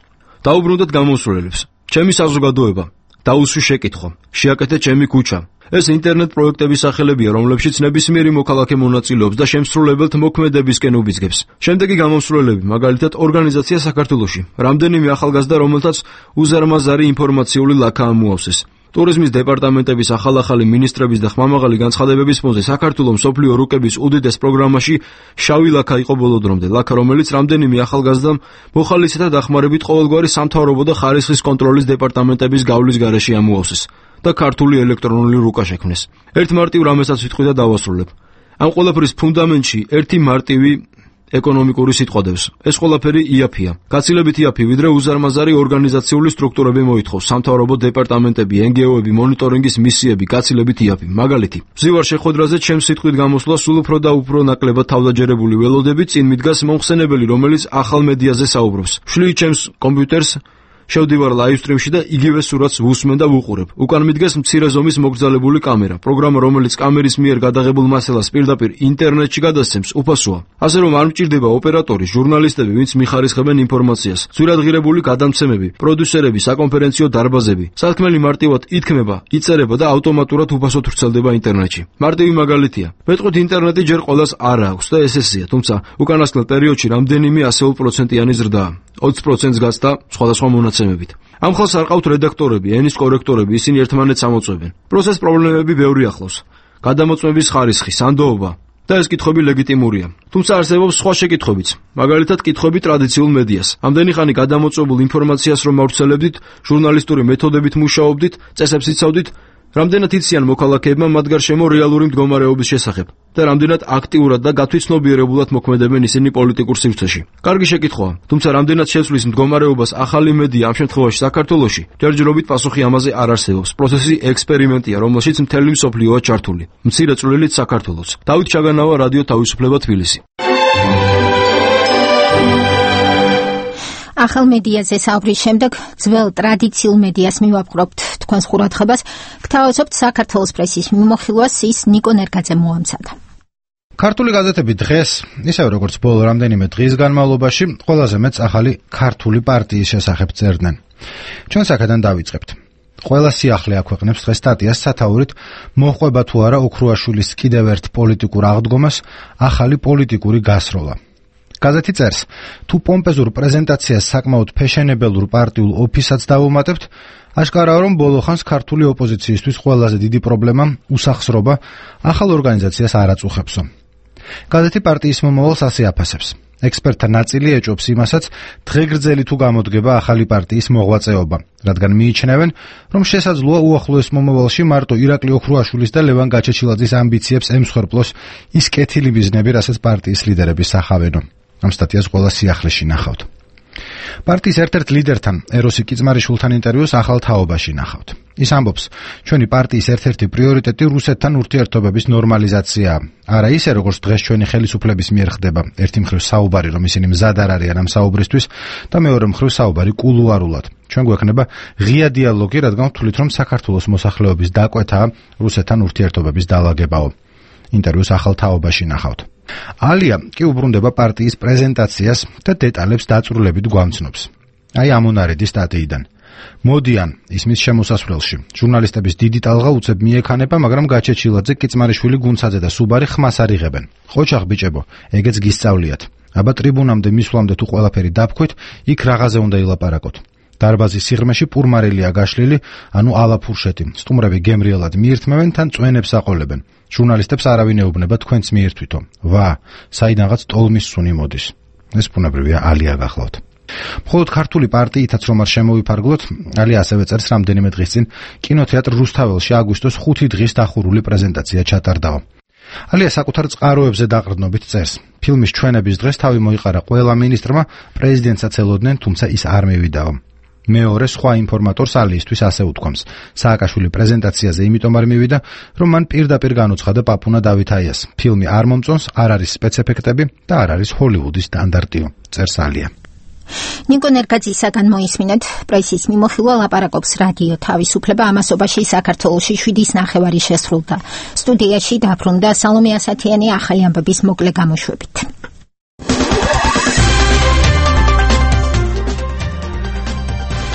დაუბრუნდეთ გამოსვლელებს. ჩემი საზოგადოება, დაუსვი შეკითხვა, შეაკეთე ჩემი ქუჩა. ეს ინტერნეტ პროექტების სახელებია, რომლებშიც ნებისმიერი მოქალაქე მონაწილეობს და შემსრულებელთ მოქმედებისკენ უბიძგებს. შემდეგი გამოსვლელები, მაგალითად, ორგანიზაცია საქართველოში, რამდენიმე ახალგაზრდა, რომელთაც უზარმაზარი ინფორმაციული ლაქა ამოავსეს. ტურიზმის დეპარტამენტების ახალ-ახალი მინისტრების და ხმამაღალი განცხადებების ფონზე საქართველოს მსოფლიო რუკების უდიდეს პროგრამაში შავი ლაქა იყო ბოლო დრომდე, ლაქა, რომელიც რამდენიმე ახალგაზრდამ მოხალისეთა დახმარებით ყოველგვარი სამთავრობო და ხარისხის კონტროლის დეპარტამენტების გავლის გარეშე ამოავსეს და ქართული ელექტრონული რუკა შექმნეს. ერთ მარტივ რამესაც ვიტყვი და დავასრულებ. ამ ყველაფრის ფუნდამენტში ერთი მარტივი ეკონომიკური სიტყვა. ეს ყველაფერი იაფია. გაცილებით იაფი, ვიდრე უზარმაზარი ორგანიზაციული სტრუქტურები მოითხოვს, სამთავრობო დეპარტამენტები, εν ჯი ო-ები, მონიტორინგის მისიები, გაცილებით იაფი. მაგალითი, ვზივარ შეხვედრაზე ჩემს სიტყვით გამოსვლა სულ უფრო და უფრო ნაკლებად თავდაჯერებული ველოდები, წინ მიდგას მომხსენებელი, რომელიც ახალ მედიაზე საუბრობს. ვშლი ჩემს კომპიუტერს, შევდივარ ლაივსტრიმში და იგივე სურათს ვუსმენ და ვუყურებ. უკან მიდგას მცირე ზომის მოგრძალებული კამერა, პროგრამა, რომელიც კამერის მიერ გადაღებულ მასალას პირდაპირ ინტერნეტში გადასცემს, უფასოა. ასე რომ არ მჭირდება ოპერატორი, ჟურნალისტები, ვინც მიხარისხებენ ინფორმაციას, ძვირადღირებული გადამცემები, პროდიუსერები, საკონფერენციო დარბაზები. სათქმელი მარტივად ითქმება, იწერება და ავტომატურად უფასოდ ვრცელდება ინტერნეტში. მარტივი მაგალითია. მეტყვით ინტერნეტი ჯერ ყველას არ აქვს და ეს ესეა, თუმცა უკანასკნელ პერიოდში რამდენიმე ასეულ პროცენტიანი ზრდაა. ოცი პროცენტს გასდა სხვადასხვა მონაცემებით. ამ ხალხს არ ყავთ რედაქტორები, ენის კორექტორები, ისინი ერთმანეთს ამოწმებენ. პროცეს პრობლემები ბევრი ახლავს. გადამოწმების ხარისხი, სანდოობა და ეს კითხვები ლეგიტიმურია. თუმცა არსებობს სხვა შეკითხვებიც. მაგალითად, კითხვები ტრადიციულ მედიას. ამდენი ხანი გადამოწმებულ ინფორმაციას რომ ავრცელებდით, ჟურნალისტური მეთოდებით მუშაობდით, წესებს იცავდით, რამდენად იციან მოქალაქეებმა მათ გარშემო რეალური მდგომარეობის შესახებ და რამდენად აქტიურად და გათვითცნობიერებულად მოქმედებენ ისინი პოლიტიკურ სივრცეში. კარგი შეკითხვაა, თუმცა რამდენად შეცვლის მდგომარეობას ახალი მედია ამ შემთხვევაში საქართველოში, ჯერჯერობით პასუხი ამაზე არ არსებობს. პროცესი ექსპერიმენტია, რომელშიც მთელი მსოფლიოა ჩართული. მცირე წვლილით საქართველოს. დავით ჩაგანავა, რადიო თავისუფლება, თბილისი.
ახალ მედიაზე საუბრის შემდეგ ძველ ტრადიციულ მედიას მივაპყრობთ თქვენს ყურადღებას. გთავაზობთ საქართველოს პრესის მიმოხილვას, ის ნიკო ნერგაძე მოამცადა.
ქართული გაზეთები დღეს, ისევე როგორც ბოლო რამდენიმე დღის განმავლობაში, ყველაზე მეც ახალი ქართული პარტიის შესახებ წერდნენ. ჩვენ აქედან დავიწყებთ. ყველა სიახლე აქვეყნებს დღეს სტატიას სათაურით მოჰყვება თუ არა ოქრუაშვილის კიდევ ერთ პოლიტიკურ აღდგომას ახალი პოლიტიკური გასროლა. გაზეთი წერს, თუ პომპეზურ პრეზენტაციას საკმაოდ ფეშენებელურ პარტიულ ოფისაც დავუმატებთ, აშკარაა, რომ ბოლო ხანს ქართული ოპოზიციისთვის ყველაზე დიდი პრობლემა უსახსრობა ახალ ორგანიზაციას არ აწუხებსო. გაზეთი პარტიის მომავალს ასე აფასებს. ექსპერტთა ნაწილი ეჭვობს იმასაც, დღეგრძელი თუ გამოდგება ახალი პარტიის მოღვაწეობა, რადგან მიიჩნევენ, რომ შესაძლოა უახლოეს მომავალში მარტო ირაკლი ოქრუაშვილის და ლევან გაჩეჩილაძის ამბიციებს ემსხვერპლოს ის კეთილი ბიზნები, რასაც პარტიის ლიდერები სახავენო. ამ სტატიას ყველა სიახლეში ნახავთ. პარტიის ერთ-ერთ ლიდერთან, ეროსი კიწმარიშვილთან ინტერვიუს ახალ თაობაში ნახავთ. ის ამბობს, ჩვენი პარტიის ერთ-ერთი პრიორიტეტი რუსეთთან ურთიერთობების ნორმალიზაციაა. არა ისე, როგორც დღეს ჩვენი ხელისუფლების მიერ ხდება, ერთი მხრივ საუბარი, რომ ისინი მზად არ არიან ამ საუბრისთვის და მეორე მხრივ საუბარი კულუარულად. ჩვენ გვექნება ღია დიალოგი, რადგან ვთვლით, რომ საქართველოს მოსახლეობის დაკვეთაა რუსეთთან ურთიერთობების დალაგებაო. ინტერვიუს ახალ თაობაში ნახავთ. ალია კი უბრუნდება პარტიის პრეზენტაციას და დეტალებს დაწვრილებით გვამცნობს. აი ამონარედი სტატიიდან. მოდიან ისმის შემოსასვლელში. ჟურნალისტების დიდი ტალღა უცებ მიექანება, მაგრამ გაჩეჩილაძე, კიწმარიშვილი, გუნცაძე და სუბარი ხმას არ იღებენ. ყოჩაღ ბიჭებო, ეგეც გისწავლიათ. აბა ტრიბუნამდე მისვლამდე თუ ყველაფერი დაფქვით, იქ რაღაცზე უნდა ილაპარაკოთ. დარბაზის სიღრმეში პურმარელია გაშლილი, ანუ ალაფურშეთი. სტუმრები გემრიელად მიირთმევენ, თან წვენებს აყოლებენ. ჟურნალისტებს არავინ ეუბნება თქვენც მიირთვითო. ვა, საიდანღაც ტოლმის სუნი მოდის. ეს ბუნებრივია, ალია გახლავთ. მხოლოდ ქართული პარტიითაც რომ არ შემოვიფარგლოთ, ალია ასევე წერს რამდენიმე დღის წინ კინოთეატრ რუსთაველში აგვისტოს ხუთი დღის დახურული პრეზენტაცია ჩატარდაო. ალია საკუთარ წყაროებზე დაყრდნობით წერს. ფილმის ჩვენების დღეს თავი მოიყარა ყველა მინისტრმა, პრეზიდენტსაც ელოდნენ, თუმცა ის არ მივიდაო. მეორე სხვა ინფორმატორს ალიისთვის ასე უთქვამს. სააკაშვილი პრეზენტაციაზე იმიტომ არ მივიდა, რომ მან პირდაპირ განუცხადა პაპუნა დავითაიას. ფილმი არ მომწონს, არ არის სპეცეფექტები და არ არის ჰოლივუდის სტანდარტიო. წერს ალია.
ნიკო ნერგაძისაგან მოისმინეთ, პრესის მიმოხილვა ლაპარაკობს რადიო თავისუფლება ამასობაში საქართველოში შვიდის ნახევარი შესრულდა. სტუდიაში დაბრუნდა სალომე ასათიანი ახალი ამბების მოკლე გამოშვებით.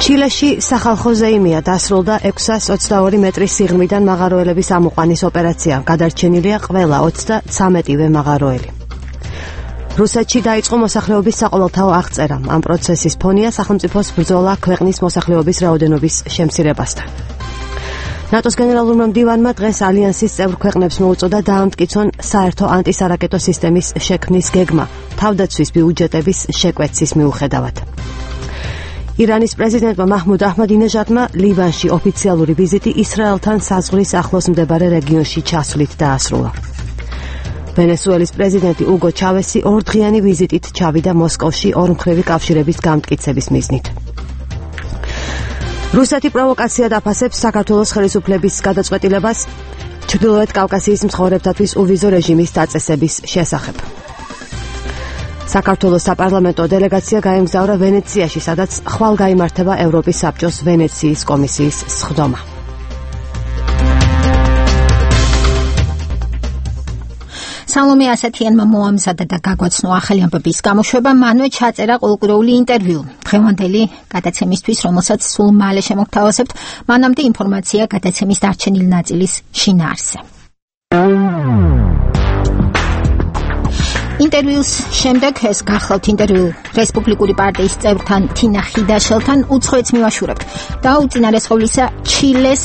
ჩილეში სახალხო ზეიმია დასრულდა ექვსას ოცდაორი მეტრის სიღრმიდან მაღაროელების ამოყვანის ოპერაცია. გადარჩენილია ყველა ოცდათვრამეტივე მაღაროელი. რუსეთში დაიწყო მოსახლეობის საყოველთაო აღწერა. ამ პროცესის ფონია სახელმწიფოს ბრძოლა ქვეყნის მოსახლეობის რაოდენობის შემცირებასთან. ნატოს გენერალურმა მდივანმა დღეს ალიანსის წევრ ქვეყნებს მოუწოდა დაამტკიცონ საერთო ანტისარაკეტო სისტემის შექმნის გეგმა თავდაცვის ბიუჯეტების შეკვეცის მიუხედავად. ირანის პრეზიდენტმა მაჰმუდ აჰმადინეჟადმა ლიბანში ოფიციალური ვიზიტი ისრაელთან საზღვრის ახლოს მდებარე რეგიონში ჩასვლით დაასრულა. ვენესუელის პრეზიდენტი უგო ჩავესი ორდღიანი ვიზიტით ჩავიდა მოსკოვში ორმხრივი კავშირების გამტკიცების მიზნით. რუსეთი პროვოკაციად აფასებს საქართველოს ხელისუფლების გადაწყვეტილებას ჩრდილოეთ კავკასიის მცხოვრებთათვის უვიზო რეჟიმის დაწესების შესახებ. საქართველოს საპარლამენტო დელეგაცია გაემგზავრა ვენეციაში, სადაც ხვალ გაიმართება ევროპის საბჭოს ვენეციის კომისიის სხდომა.
სალომე ასათიანმა მოამზადა და გაგვაცნო ახალი ამბების გამოშვება, მანვე ჩაწერა ყოლყურეული ინტერვიუ. დღევანდელი გადაცემისთვის, რომელსაც სულ მალე შემოგთავაზებთ, მანამდე ინფორმაცია გადაცემის დარჩენილი ნაწილის შინაარსზე. ინტერვიუს შემდეგ ეს გახლავთ ინტერვიუ რესპუბლიკური პარტიის წევრთან თინა ხიდაშელთან უცხოეთს მივაშურებთ და უწინარესყავლისა ჩილეს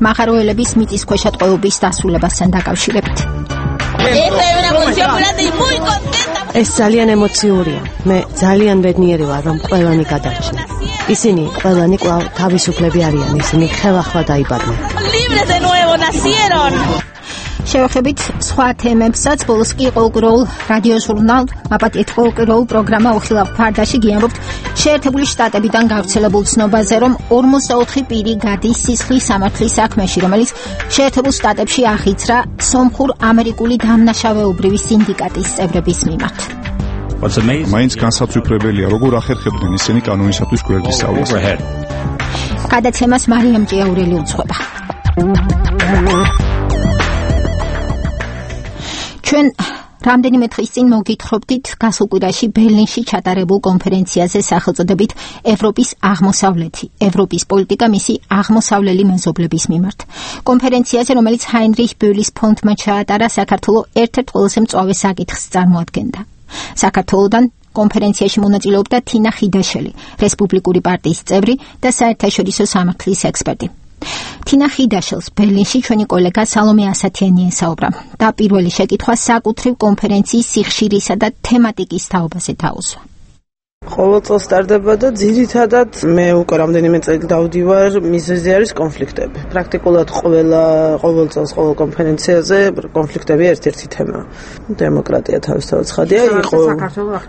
მაღაროელების მიწისქვეშა ტყვეობის დასრულებასთან დაკავშირებით.
ეს ძალიან ემოციურია. მე ძალიან ბედნიერი ვარ, რომ ყველანი გადარჩნენ. ისინი ყველანი კვლავ თავისუფლები არიან, ისინი ხელახლა დაიბადნენ. შევეხებით სხვა თემებსაც, ბოლოს კი ყოლყუროულ რადიო ჟურნალ მაპატიეთ ყოლყუროულ პროგრამა უხილავ ფარდაში გიამბობთ შეერთებული შტატებიდან გავრცელებულ ცნობაზე, რომ ორმოცდაოთხი პირი გადის სისხლის სამართლის საქმეში, რომელიც შეერთებულ შტატებში ახიძრა სომხურ ამერიკული დამნაშავეობრივი სინდიკატის წევრების მიმართ.
მაინც განსაცვიფრებელია, როგორ ახერხებდნენ ისინი კანონისათვის გვერდის სწავლას.
გადაცემას მარიამ ჭიაურელი უძღვება. ჩვენ რამდენიმე დღის წინ მოგითხრობდით გასულ კვირაში ბერლინში ჩატარებულ კონფერენციაზე სახელწოდებით ევროპის აღმოსავლეთი, ევროპის პოლიტიკა მისი აღმოსავლელი მეზობლების მიმართ. კონფერენციაზე, რომელიც ჰაინრიხ ბოლის ფონდმა ჩაატარა, საქართველო ერთ-ერთ ყველაზე მწვავე საკითხს წარმოადგენდა. საქართველოდან კონფერენციაში მონაწილეობდა თინა ხიდაშელი, რესპუბლიკური პარტიის წევრი და საერთაშორისო სამართლის ექსპერტი. თინა ხიდაშელს ბერლინში ჩვენი კოლეგა სალომე ასათიანი ესაუბრა და პირველი შეკითხვა საკუთრივ კონფერენციის სიხშირისა და თემატიკის თაობაზე დაუსვა.
ყოველ წელს სტარდება და ძირითადად მე უკვე რამდენიმე წელი დავდივარ, მიზეზი არის კონფლიქტები. პრაქტიკულად ყველა ყოველ წელს ყოველ კონფერენციაზე კონფლიქტები ერთ-ერთი თემაა. დემოკრატია თავისთავად ცხადია, იყო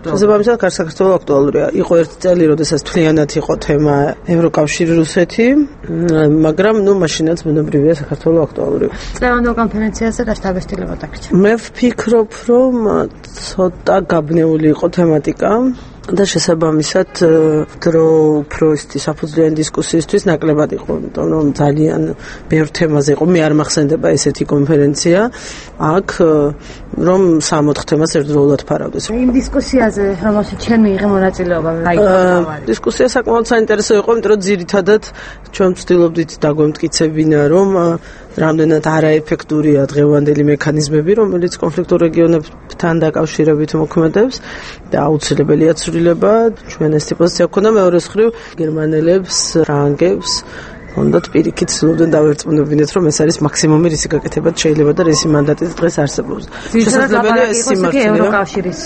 შესაბამისად საქართველოს აქტუალურია. იყო ერთი წელი, როდესაც თლიანად იყო თემა ევროკავშირი რუსეთი, მაგრამ ნუ მაშინაც ბუნებრივია საქართველოს აქტუალური.
წლევანდელ კონფერენციაზე რა შთაბეჭდილება დაგჭირდა?
მე ვფიქრობ, რომ ცოტა გაბნეული იყო თემატიკა. და შესაბამისად დრო უფრო ისეთი საფუძვლიანი დისკუსიისთვის ნაკლებად იყო, იმიტომ რომ ძალიან ბევრ თემაზე იყო. მე არ მახსენდება ესეთი კონფერენცია აქ, რომ სამოთხ თემას ერთდროულად ფარავდეს.
იმ დისკუსიაზე, რომელშიც ჩვენ მიიღე მონაწილეობა,
დისკუსია საკმაოდ საინტერესო იყო, იმიტომ რომ ძირითადად ჩვენ ვცდილობდით დაგვემტკიცებინა, რომ რამდენად არაეფექტურია დღევანდელი მექანიზმები, რომელიც კონფლიქტურ რეგიონებთან დაკავშირებით მოქმედებს და აუცილებელია ცვლილება. ჩვენ ეს პოზიცია გვქონდა, მეორე მხრივ გერმანელებს, ფრანგებს hondot პირიქით ცდილობდნენ დავერწმუნებინეთ, რომ ეს არის მაქსიმუმი, რისი გაკეთებად შეიძლება და რისი მანდატით დღეს არსებობს. შესაძლებელია ეს სიმართლეა.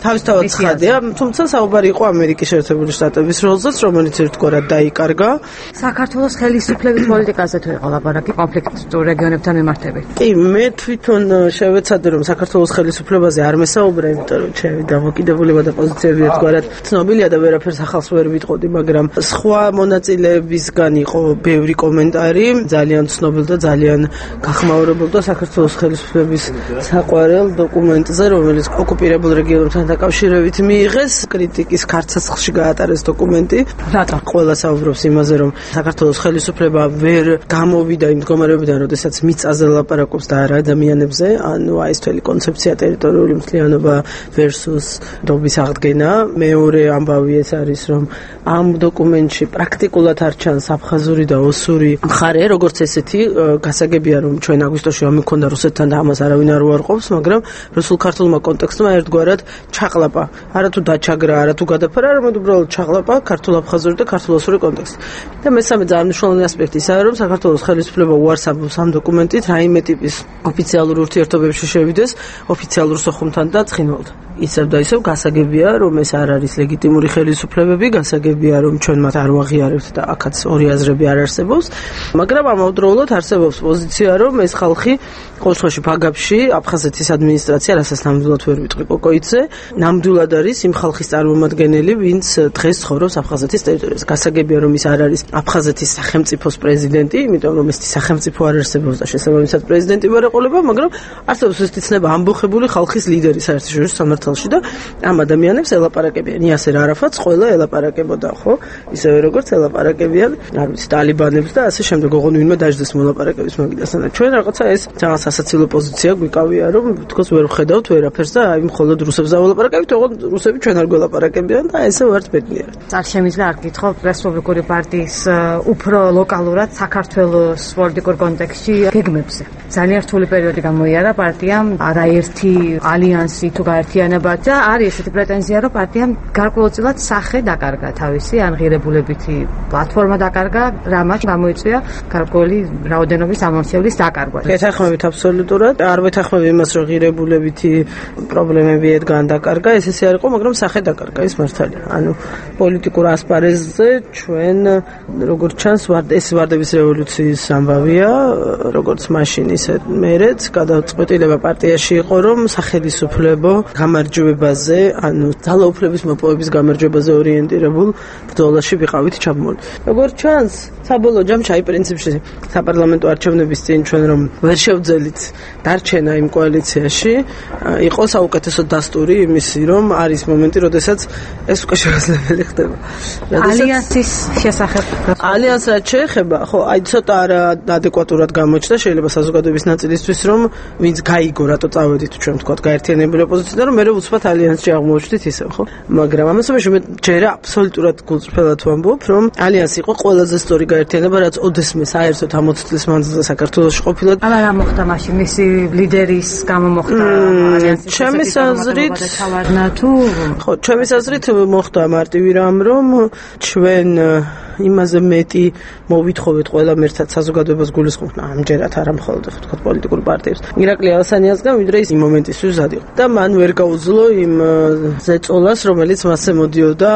თავისთავად ცხადია, თუმცა საუბარი იყო ამერიკის შეერთებული შტატების როლზეც, რომელიც ერთგვარად დაიკარგა.
საქართველოს ხელისუფლების პოლიტიკაზე თუ იყო ლაპარაკი კონფლიქტურ რეგიონებთან მიმართებით.
კი, მე თვითონ შევეცადე, რომ საქართველოს ხელისუფლებაზე არ მესაუბრე, იმიტომ რომ ჩემი დამოკიდებულება და პოზიციები ერთგვარად ცნობილია და ვერაფერს ახალს ვერ ვიტყოდი, მაგრამ სხვა მონაწილეებისგან იყო ბევრი კომენტარი, ძალიან ცნობილ და ძალიან გახმაურებულდა საქართველოს ხელისუფლების საყვარელ დოკუმენტზე, რომელიც ოკუპირებულ რეგიონებთან დაკავშირებით მიიღეს, კრიტიკის ქარცაცლში გაატარეს დოკუმენტი.
რატო?
ყველა საუბრობს იმაზე, რომ საქართველოს ხელისუფლება ვერ გამოვიდა იმ მდგომარეობიდან, როდესაც მიწაზე ლაპარაკობს და არა ადამიანებზე, ანუ აი ეს თველი კონცეფცია ტერიტორიული მთლიანობა versus დობის აღდგენა. მეორე ამბავი ეს არის, რომ ამ დოკუმენტში პრაქტიკულად არ ჩანს აფხაზური და ოსური მხარე, როგორც ესეთი, გასაგებია, რომ ჩვენ აგვისტოში ამ მქონდა რუსეთთან და ამას არავინ არ უარყოფს, მაგრამ რუსულ-ქართულმა კონტექსტმა ერთგვარად ჩაყლაპა. არა თუ დაჩაგრა, არა თუ გადაფარა, არამედ უბრალოდ ჩაყლაპა ქართულ-აფხაზური და ქართულ-ოსური კონტექსტი. და მესამე ძალიან მნიშვნელოვანი ასპექტი ისაა, რომ საქართველოს ხელისუფლება უარს ამბობს ამ დოკუმენტით, რაიმე ტიპის ოფიციალურ ურთიერთობებში შევიდეს ოფიციალურ სოხუმთან და ცხინვალთან. ისევ და ისევ გასაგებია, რომ ეს არ არის ლეგიტიმური ხელისუფლებები, გასაგებია, რომ ჩვენ მათ არ ვაღიარებთ და აქაც ორი აზრები არ არსებობს, მაგრამ ამავდროულად არსებობს პოზიცია, რომ ეს ხალხი ყოველ შემთხვევაში ფაგაფში აფხაზეთის ადმინისტრაცია, რასაც ნამდვილად ვერ ვიტყვი კოკოიძე, ნამდვილად არის იმ ხალხის წარმომადგენელი, ვინც დღეს ცხოვრობს აფხაზეთის ტერიტორიაზე. გასაგებია, რომ ის არ არის აფხაზეთის სახელმწიფოს პრეზიდენტი, იმიტომ რომ ეს სახელმწიფო არ არსებობს და შესაბამისად პრეზიდენტი ვერ ეყოლება, მაგრამ არსებობს ეს ცნება ამბოხებული ხალხის ლიდერი საერთაშორისო სამართალში და ამ ადამიანებს ელაპარაკებიან. იასერ არაფატს ყველა ელაპარაკებოდა, ხო? ისევე როგორც ელაპარაკებიან, არ ვიცი, ტალიბანებს და ასე შემდეგ, ოღონდ ვინმე დაждდეს მოლაპარაკების მაგიდასთან. ჩვენ რაღაცა ეს ძალიან სასაცილო პოზიცია გვიკავია, რომ თქოს ვერ ვხედავთ ვერაფერს და აი მხოლოდ რუსებს დაველაპარაკებით, ოღონდ რუსები ჩვენ არ გველაპარაკებიან და ესე ვართ ბედნიერად.
არ შემიძლია არ გითხოვ რესპუბლიკური პარტიის უფრო ლოკალურად საქართველოს პოლიტიკურ კონტექსტში გეგმებზე. ძალიან რთული პერიოდი გამოიარა პარტიამ, არაერთი ალიანსი თუ გაერთიანება და არის ესეთი პრეტენზია, რომ პარტიამ გარკვეულწილად სახე დაკარგა თავისი, ანღირებულებითი პლატფორმა დაკარგა, რამაც გამოიწვია გარკვეული რაოდენობის ამომრჩევლის დაკარგვა.
ეთანხმებით აბსოლუტურად, არ ვეთანხმები იმას, რომ ღირებულებითი პრობლემები ედგან დაკარგა, ეს ესე არ იყო, მაგრამ სახე დაკარგა, ეს მართალია. ანუ პოლიტიკურ ასპარეზზე ჩვენ როგორც ჩანს, ეს ვარდების რევოლუციის ამბავია, როგორც მაშინ ისე მერეც გადაწყვეტილება პარტიაში იყო, რომ სახელისუფლებო გამარჯვებაზე, ანუ ძალაუფლების მოპოვების გამარჯვებაზე ორიენტირებულ ბრძოლაში ვიყავით ჩაბმული. როგორც ჩანს, საბოლოო ჯამში აი პრინციპში საპარლამენტო არჩევნების წინ ჩვენ რომ ვერ შევძელით დარჩენა იმ კოალიციაში, იყო საუკეთესო დასტური იმისი, რომ არის მომენტი, როდესაც ეს უკვე შესაძლებელი ხდება.
ალიანსის შესახებ.
ალიანს რაც შეეხება, ხო, აი ცოტა არა ადეკვატურად გამოჩნდა, შეიძლება საზოგადოების ნაწილისთვის, რომ ვინც გაიგო, რატო წავედით ჩვენ თქვა გაერთიანებული ოპოზიციიდან, რომ მე უცბად ალიანსში აღმოჩნდით ისევ, ხო? მაგრამ ამასობაში მე ჯერა აბსოლუტურად გულწრფელად ვამბობ, რომ ალიანსი იყო ყველაზე სწორი გაერთიანება, რაც ვიღაც ოდესმე საერთოდ ამოც წლის მანძილზე საქართველოში ყოფილა.
არა რა მოხდა მაშინ მისი ლიდერის გამო მოხდა ალიანსის
ჩემი აზრით
თავარნა თუ
ხო ჩემი აზრით მოხდა მარტივი რამ რომ ჩვენ იმაზე მეტი მოვითხოვეთ ყველა ერთად საზოგადოებას გულისხმობ ამჯერად არა მხოლოდ თქვა პოლიტიკურ პარტიებს ირაკლი ალასანიასგან ვიდრე ის იმ მომენტისთვის ზად იყო და მან ვერ გაუძლო იმ ზეწოლას რომელიც მასზე მოდიოდა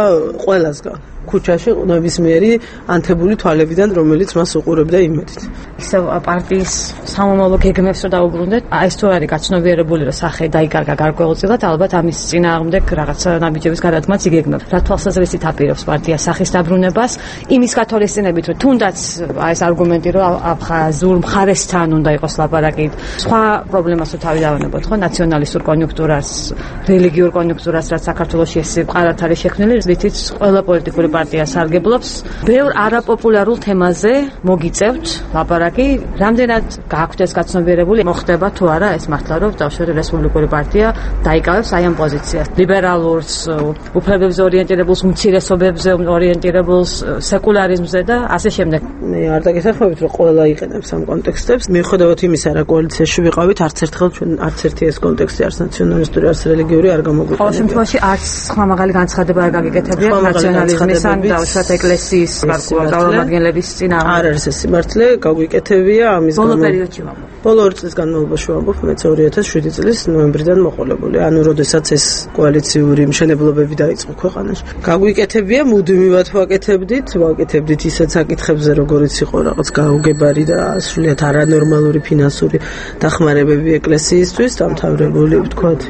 ყველასგან ქუჩაში ნებისმიერი ანთებული თვალებიდან რომელიც მას უყურებდა იმედით
ისევ პარტიის სამომავლო გეგმებს რო დაუბრუნდეთ აი ეს თუ არის გაცნობიერებული რომ სახე დაიკარგა გარკვეულწილად ალბათ ამის წინააღმდეგ რაღაცა ნაბიჯების გადადგმაც იგეგმებს რა თვალსაზრისით აპირებს პარტია სახის დაბრუნებას იმის გათვალისწინებით რომ თუნდაც აი ეს არგუმენტი რომ აფხაზურ მხარესთან უნდა იყოს ლაპარაკი სხვა პრობლემას რო თავი დავანებოთ ხო ნაციონალისტურ კონიუნქტურას რელიგიურ კონიუნქტურას რაც საქართველოში ეს მყარად არის შექმნილი რითიც ყველა პოლიტიკური პარტია სარგებლობს ბევრ არაპოპულარულ თემაზე მოგიწევთ ლაპარაკი რამდენად გააქვთ ეს გაცნობიერებული მოხდება თუ არა ეს მართლა რომ დავშორე რესპუბლიკური პარტია დაიკავებს აი ამ პოზიციას ლიბერალურს უფლებებზე ორიენტირებულს უმცირესობებზე ორიენტირებულს სეკულარიზმზე და ასე შემდეგ
მე არ დაგესახმებით რომ ყველა იყენებს ამ კონტექსტებს მიუხედავად იმისა რა კოალიციაში ვიყავით არც ერთხელ ჩვენ არც ერთი ეს კონტექსტი არც ნაციონალისტური არც რელიგიური არ გამოგვიყენება
ყოველ შემთხვევაში არც ხმამაღალი განცხადება არ გაგიკეთებია ნაციონალიზმის ან დავუშვათ ეკლესიის გავლენების წინა
არ არის ეს სიმართლე გაგვიკეთებია ამის
გამო ბოლო პერიოდში ვამბობ
ბოლო ორი წლის განმავლობაში ვამბობ მეც ორი ათას შვიდი წლის ნოემბრიდან მოყოლებული ანუ როდესაც ეს კოალიციური მშენებლობები დაიწყო ქვეყანაში გაგვიკეთებია მუდმივად ვაკეთებდით ვაკეთებდით ისეთ საკითხებზე როგორიც იყო რაღაც გაუგებარი და სრულიად არანორმალური ფინანსური დახმარებები ეკლესიისთვის დამთავრებული ვთქვათ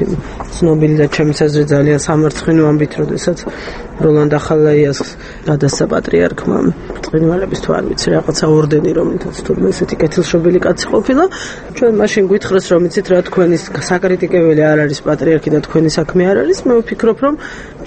ცნობილი და ჩემს აზრით ძალიან სამარცხვინო ამბით როდესაც როლანდ ახალაიას გადასცა პატრიარქმა წინვალების თუ არ ვიცი რაღაცა ორდენი რომელთაც თურმე ესეთი კეთილშობილი კაცი ყოფილა ჩვენ მაშინ გვითხრეს რომ იცით რა თქვენი საკრიტიკებელი არ არის პატრიარქი და თქვენი საქმე არ არის მე ვფიქრობ რომ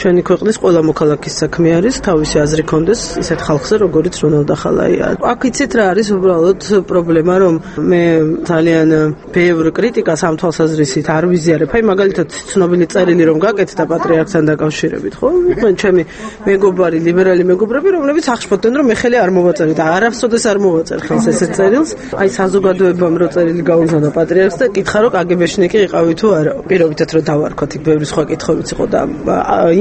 ჩვენი ქვეყნის ყველა მოქალაქის საქმე არის თავისი აზრი კონდეს ისეთ ხალხზე როგორიც როლანდ ახალაია აქ იცით რა არის უბრალოდ პრობლემა რომ მე ძალიან ბევრ კრიტიკას ამ თვალსაზრისით არ ვიზიარებ აი მაგალითად ცნობილი წერილი რომ გაკეთდა პატრიარქთან დაკავშირებით ხო მე ჩემი მეგობარი ლიბერალი მეგობრები რომლებიც აღშფოთდნენ რომ მე ხელი არ მოვაწერე და არასოდეს არ მოვაწერ ხელს ესეთ წერილს აი საზოგადოებამ რო წერილი გაუგზავნა პატრიარქს და კითხა რომ კაგებეშნიკი იყავი თუ არა პირობითად რომ დავარქოთ იქ ბევრი სხვა კითხვებიც იყო და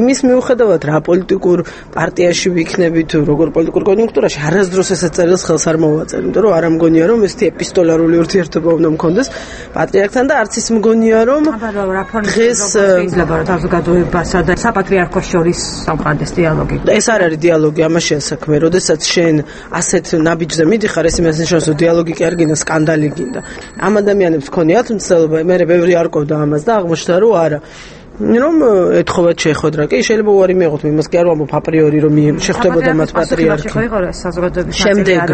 იმის მიუხედავად რა პოლიტიკურ პარტიაში ვიქნები თუ როგორ პოლიტიკურ კონიუნქტურაში არასდროს ესეთ წერილს ხელს არ მოვაწერ იმიტომ რომ არ ამგონია რომ ესეთი ეპისტოლარული ურთიერთობა უნდა მქონდეს პატრიარქთან და არც ის მგონია რომ
დღეს შეიძლება რომ საზოგადოებასა და საპატრიარქოს შორის სამყაროს დიალოგი
ეს არ არის დიალოგი ამაშია საქმე როდესაც შენ ასეთ ნაბიჯზე მიდიხარ ეს იმას ნიშნავს რომ დიალოგი კი არ გინდა სკანდალი გინდა ამ ადამიანებს ქონიათ მცდელობა მე ბევრი არ ყოფდა ამას და აღმოჩნდა რომ არა რომ ეთხოვათ შეხვედრა კი შეიძლება უარი მიიღოთ იმას კი არ ვამბობ აპრიორი რომ შეხვდებოდა მათ პატრიარქი შემდეგ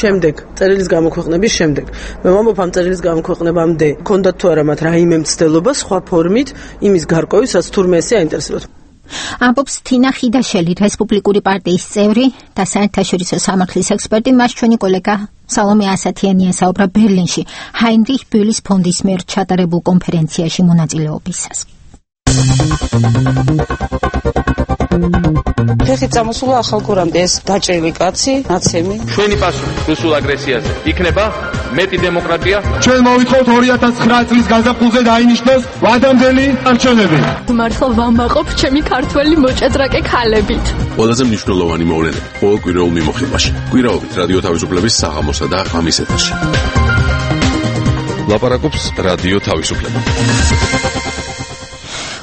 შემდეგ წერილის გამოქვეყნების შემდეგ მე ვამბობ ამ წერილის გამოქვეყნებამდე ქონდათ თუ არა მათ რაიმე მცდელობა სხვა ფორმით იმის გარკვევის რაც თურმე ესე აინტერესებდათ
ამბობს თინა ხიდაშელი რესპუბლიკური პარტიის წევრი და საერთაშორისო სამართლის ექსპერტი მას ჩვენი კოლეგა სალომე ასათიანია საუბრა ბერლინში ჰაინრიხ ბյուლის ფონდის მიერ ჩატარებულ კონფერენციაში მონაწილეობისას
ფეხი წამოსულა ახალგურამდე ეს დაჭრილი კაცი ნაცემი
ჩვენი პასუხი რუსულ აგრესიაზე იქნება მეტი დემოკრატია
ჩვენ მოვითხოვთ ორი ათას ცხრა წლის გაზაფხულზე დაინიშნოს ვადამდელი არჩევნები
მართლა ვამაყობ ჩემი ქართველი მოჭადრაკე ქალებით
ყველაზე მნიშვნელოვანი მოვლენები ყოველკვირეულ მიმოხილვაში კვირაობით რადიო თავისუფლების საღამოსა და ღამის ეთერში ლაპარაკობს რადიო თავისუფლება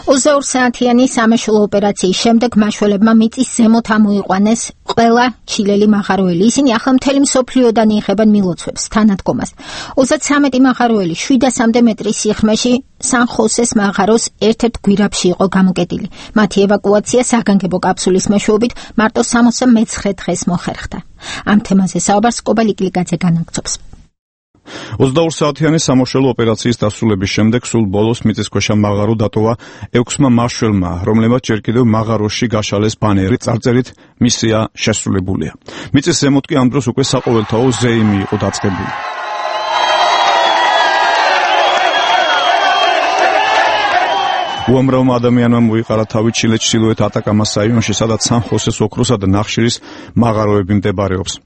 ოცდაორ საათიანი სამაშველო ოპერაციის შემდეგ მაშველებმა მიწის ზემოთ ამოიყვანეს ყველა ჩილელი მაღაროელი. ისინი ახლა მთელი მსოფლიოდან იღებენ მილოცვებს თანადგომას. ოცდათვრამეტი მაღაროელი შვიდასამდე მეტრის სიღრმეში სან-ხოსეს მაღაროს ერთ-ერთ გვირაბში იყო გამოკეტილი. მათი ევაკუაცია საგანგებო კაფსულის მეშვეობით მარტო სამოცდამეცხრე დღეს მოხერხდა. ამ თემაზე საუბარს კობალ იკლიკაძე განაგრძობს.
ოცდაორ საათიანი სამოშელო ოპერაციის დასრულების შემდეგ სულ ბოლოს მიწისქვეშა მაღარო დატოვა ექვსმა მაშველმა, რომლებმაც ჯერ კიდევ მაღაროში გაშალეს ბანერი წარწერით მისია შესრულებულია. მიწის ზემოთ კი ამ დროს უკვე საყოველთაო ზეიმი იყო დაწყებული. უამრავმა ადამიანმა მოიყარა თავი ჩილეს ჩრდილოეთ ატაკამას რაიონში, სადაც სან-ხოსეს ოქროსა და ნახშირის მაღაროები მდებარეობს.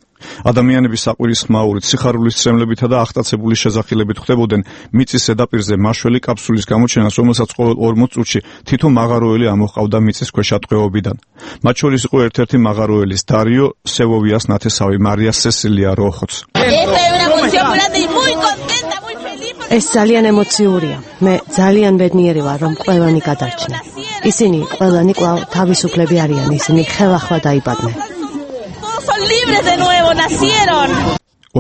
ადამიანების საყვირისხმაურით, სიხარულის ცრემლებითა და აღტაცებული შესახილებით ხდებოდნენ მიწის ზედაპირზე მაშველი კაფსულის გამოჩენას, რომელსაც ყოველ ორმოც წუთში თითო მაღაროელი ამოჰყავდა მიწის ქვეშ ატყვევებიდან. მათ შორის იყო ერთ-ერთი მაღაროელის დარიო სევოვიას ნათესავი მარია სესილია როხოც.
ეს ძალიან ემოციურია. მე ძალიან ბედნიერი ვარ, რომ ყველანი გადარჩნენ. ისინი ყველანი კვლავ თავისუფლები არიან, ისინი ხელახლა დაიბადნენ.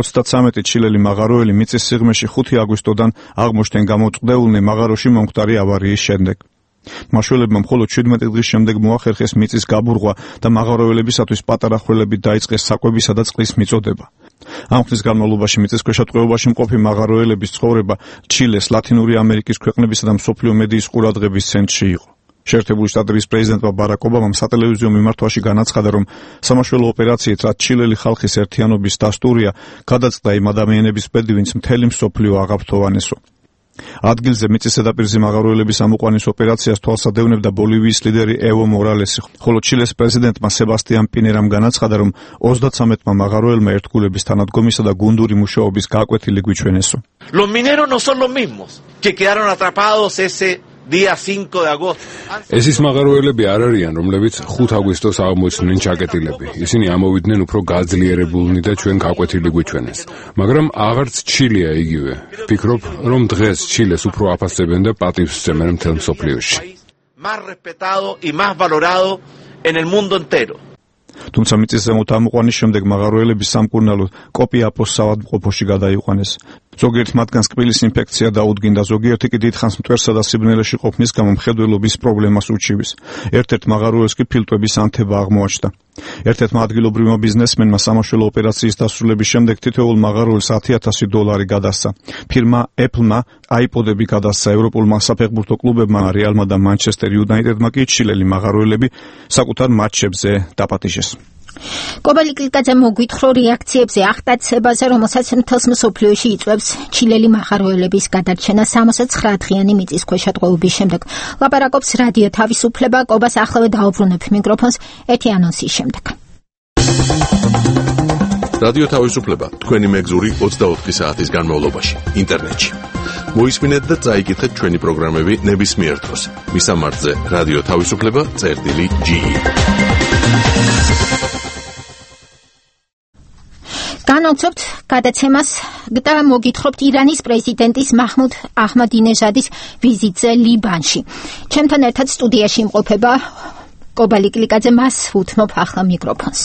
ოცდათრამეტი ჩილელი მაღაროელი მიწის სიღრმეში ხუთი აგვისტოდან აღმოჩნდნენ გამოწყდეულნი მაღაროში მომხდარი ავარიის შემდეგ. მაშველებმა მხოლოდ შვიდმეტი დღის შემდეგ მოახერხეს მიწის გაბურღვა და მაღაროელებისათვის პატარა ხვრელებით დაიწყეს საკვებისა და წყლის მიწოდება. ამ ხნის განმავლობაში მიწის ქვეშ ტყვეობაში მყოფი მაღაროელების ცხოვრება ჩილეს, ლათინური ამერიკის ქვეყნებისა და მსოფლიო მედიის ყურადღების ცენტრში იყო. შეერთებული შტატების პრეზიდენტმა ბარაკ ობამამ სატელევიზიო მიმართვაში განაცხადა, რომ სამაშველო ოპერაციით, რაც ჩილელი ხალხის ერთიანობის დასტურია, გადაწყდა იმ ადამიანების ბედი, ვინც მთელი მსოფლიო აღაფრთოვანესო. ადგილზე მიწის ზედაპირზე მაღაროელების ამოყვანის ოპერაციას თვალსადევნებდა ბოლივიის ლიდერი ევო მორალესი, ხოლო ჩილეს პრეზიდენტმა სებასტიან პინერამ განაცხადა, რომ ოცდათრამეტმა მაღაროელმა ერთგულების თანადგომისა და გუნდური მუშაობის გაკვეთილი გვიჩვენესო.
Los mineros no son los mismos que quedaron atrapados ese día cinco de agosto.
ეს ის მაღაროელები არ არიან, რომლებიც ხუთ აგვისტოს აღმოჩნდნენ ჩაკეტილები. ისინი ამოვიდნენ უფრო გაძლიერებულნი და ჩვენ გაკვეთილი გვიჩვენეს. მაგრამ აღარც ჩილია იგივე. ვფიქრობ, რომ დღეს ჩილეს უფრო აფასებენ და პატივს სცემენ მთელ მსოფლიოში.
Más respetado y más valorado en el mundo entero.
თუმცა მიწის ზემოთ ამოყვანის შემდეგ მაღაროელების სამკურნალო კოპიაპოს საავადმყოფოში გადაიყვანეს. ზოგიერთ მათგანს კბილის ინფექცია დაუდგინდა, ზოგიერთი კი დიდხანს მტვერსა და სიბნელეში ყოფნის გამო მხედველობის პრობლემას უჩივის. ერთ-ერთ მაღაროელს კი ფილტვების ანთება აღმოაჩნდა. ერთ-ერთმა ადგილობრივმა ბიზნესმენმა სამაშველო ოპერაციის დასრულების შემდეგ თითოეულ მაღაროელს ათი ათასი დოლარი გადასცა. ფირმა Apple-მა აიპოდები გადასცა, ევროპულმა საფეხბურთო კლუბებმა, რეალმა და მანჩესტერ იუნაიტედმა კი ჩილელი მაღაროელები საკუთარ მატჩებზე დაპატიჟეს.
კობალი კლიკაძე მოგვითხოვ რეაქციებზე აღტაცებაზე, რომელსაც მთელს მსოფლიოში იწვევს ჩილელი მაღაროელების გადარჩენა სამოცდათრამეტ დღიანი მიწის ქვეშ ატყვევების შემდეგ. ლაპარაკობს რადიო თავისუფლება, კობას ახლავე დაუბრუნებ მიკროფონს ერთი ანონსის შემდეგ.
რადიო თავისუფლება თქვენი მეგზური ოცდაოთხი საათის განმავლობაში ინტერნეტში. მოისმინეთ და წაიკითხეთ ჩვენი პროგრამები ნებისმიერ დროს. მისამართზე რადიო თავისუფლება წერტილი ჯი.
განაცხადეთ გადაცემას და მოგითხრობთ ირანის პრეზიდენტის მაჰმუდ აჰმადინეჟადის ვიზიტზე ლიბანში. ჩემთან ერთად სტუდიაში იმყოფება კობალი კლიკაძე, მას უთმობ ახლა მიკროფონს.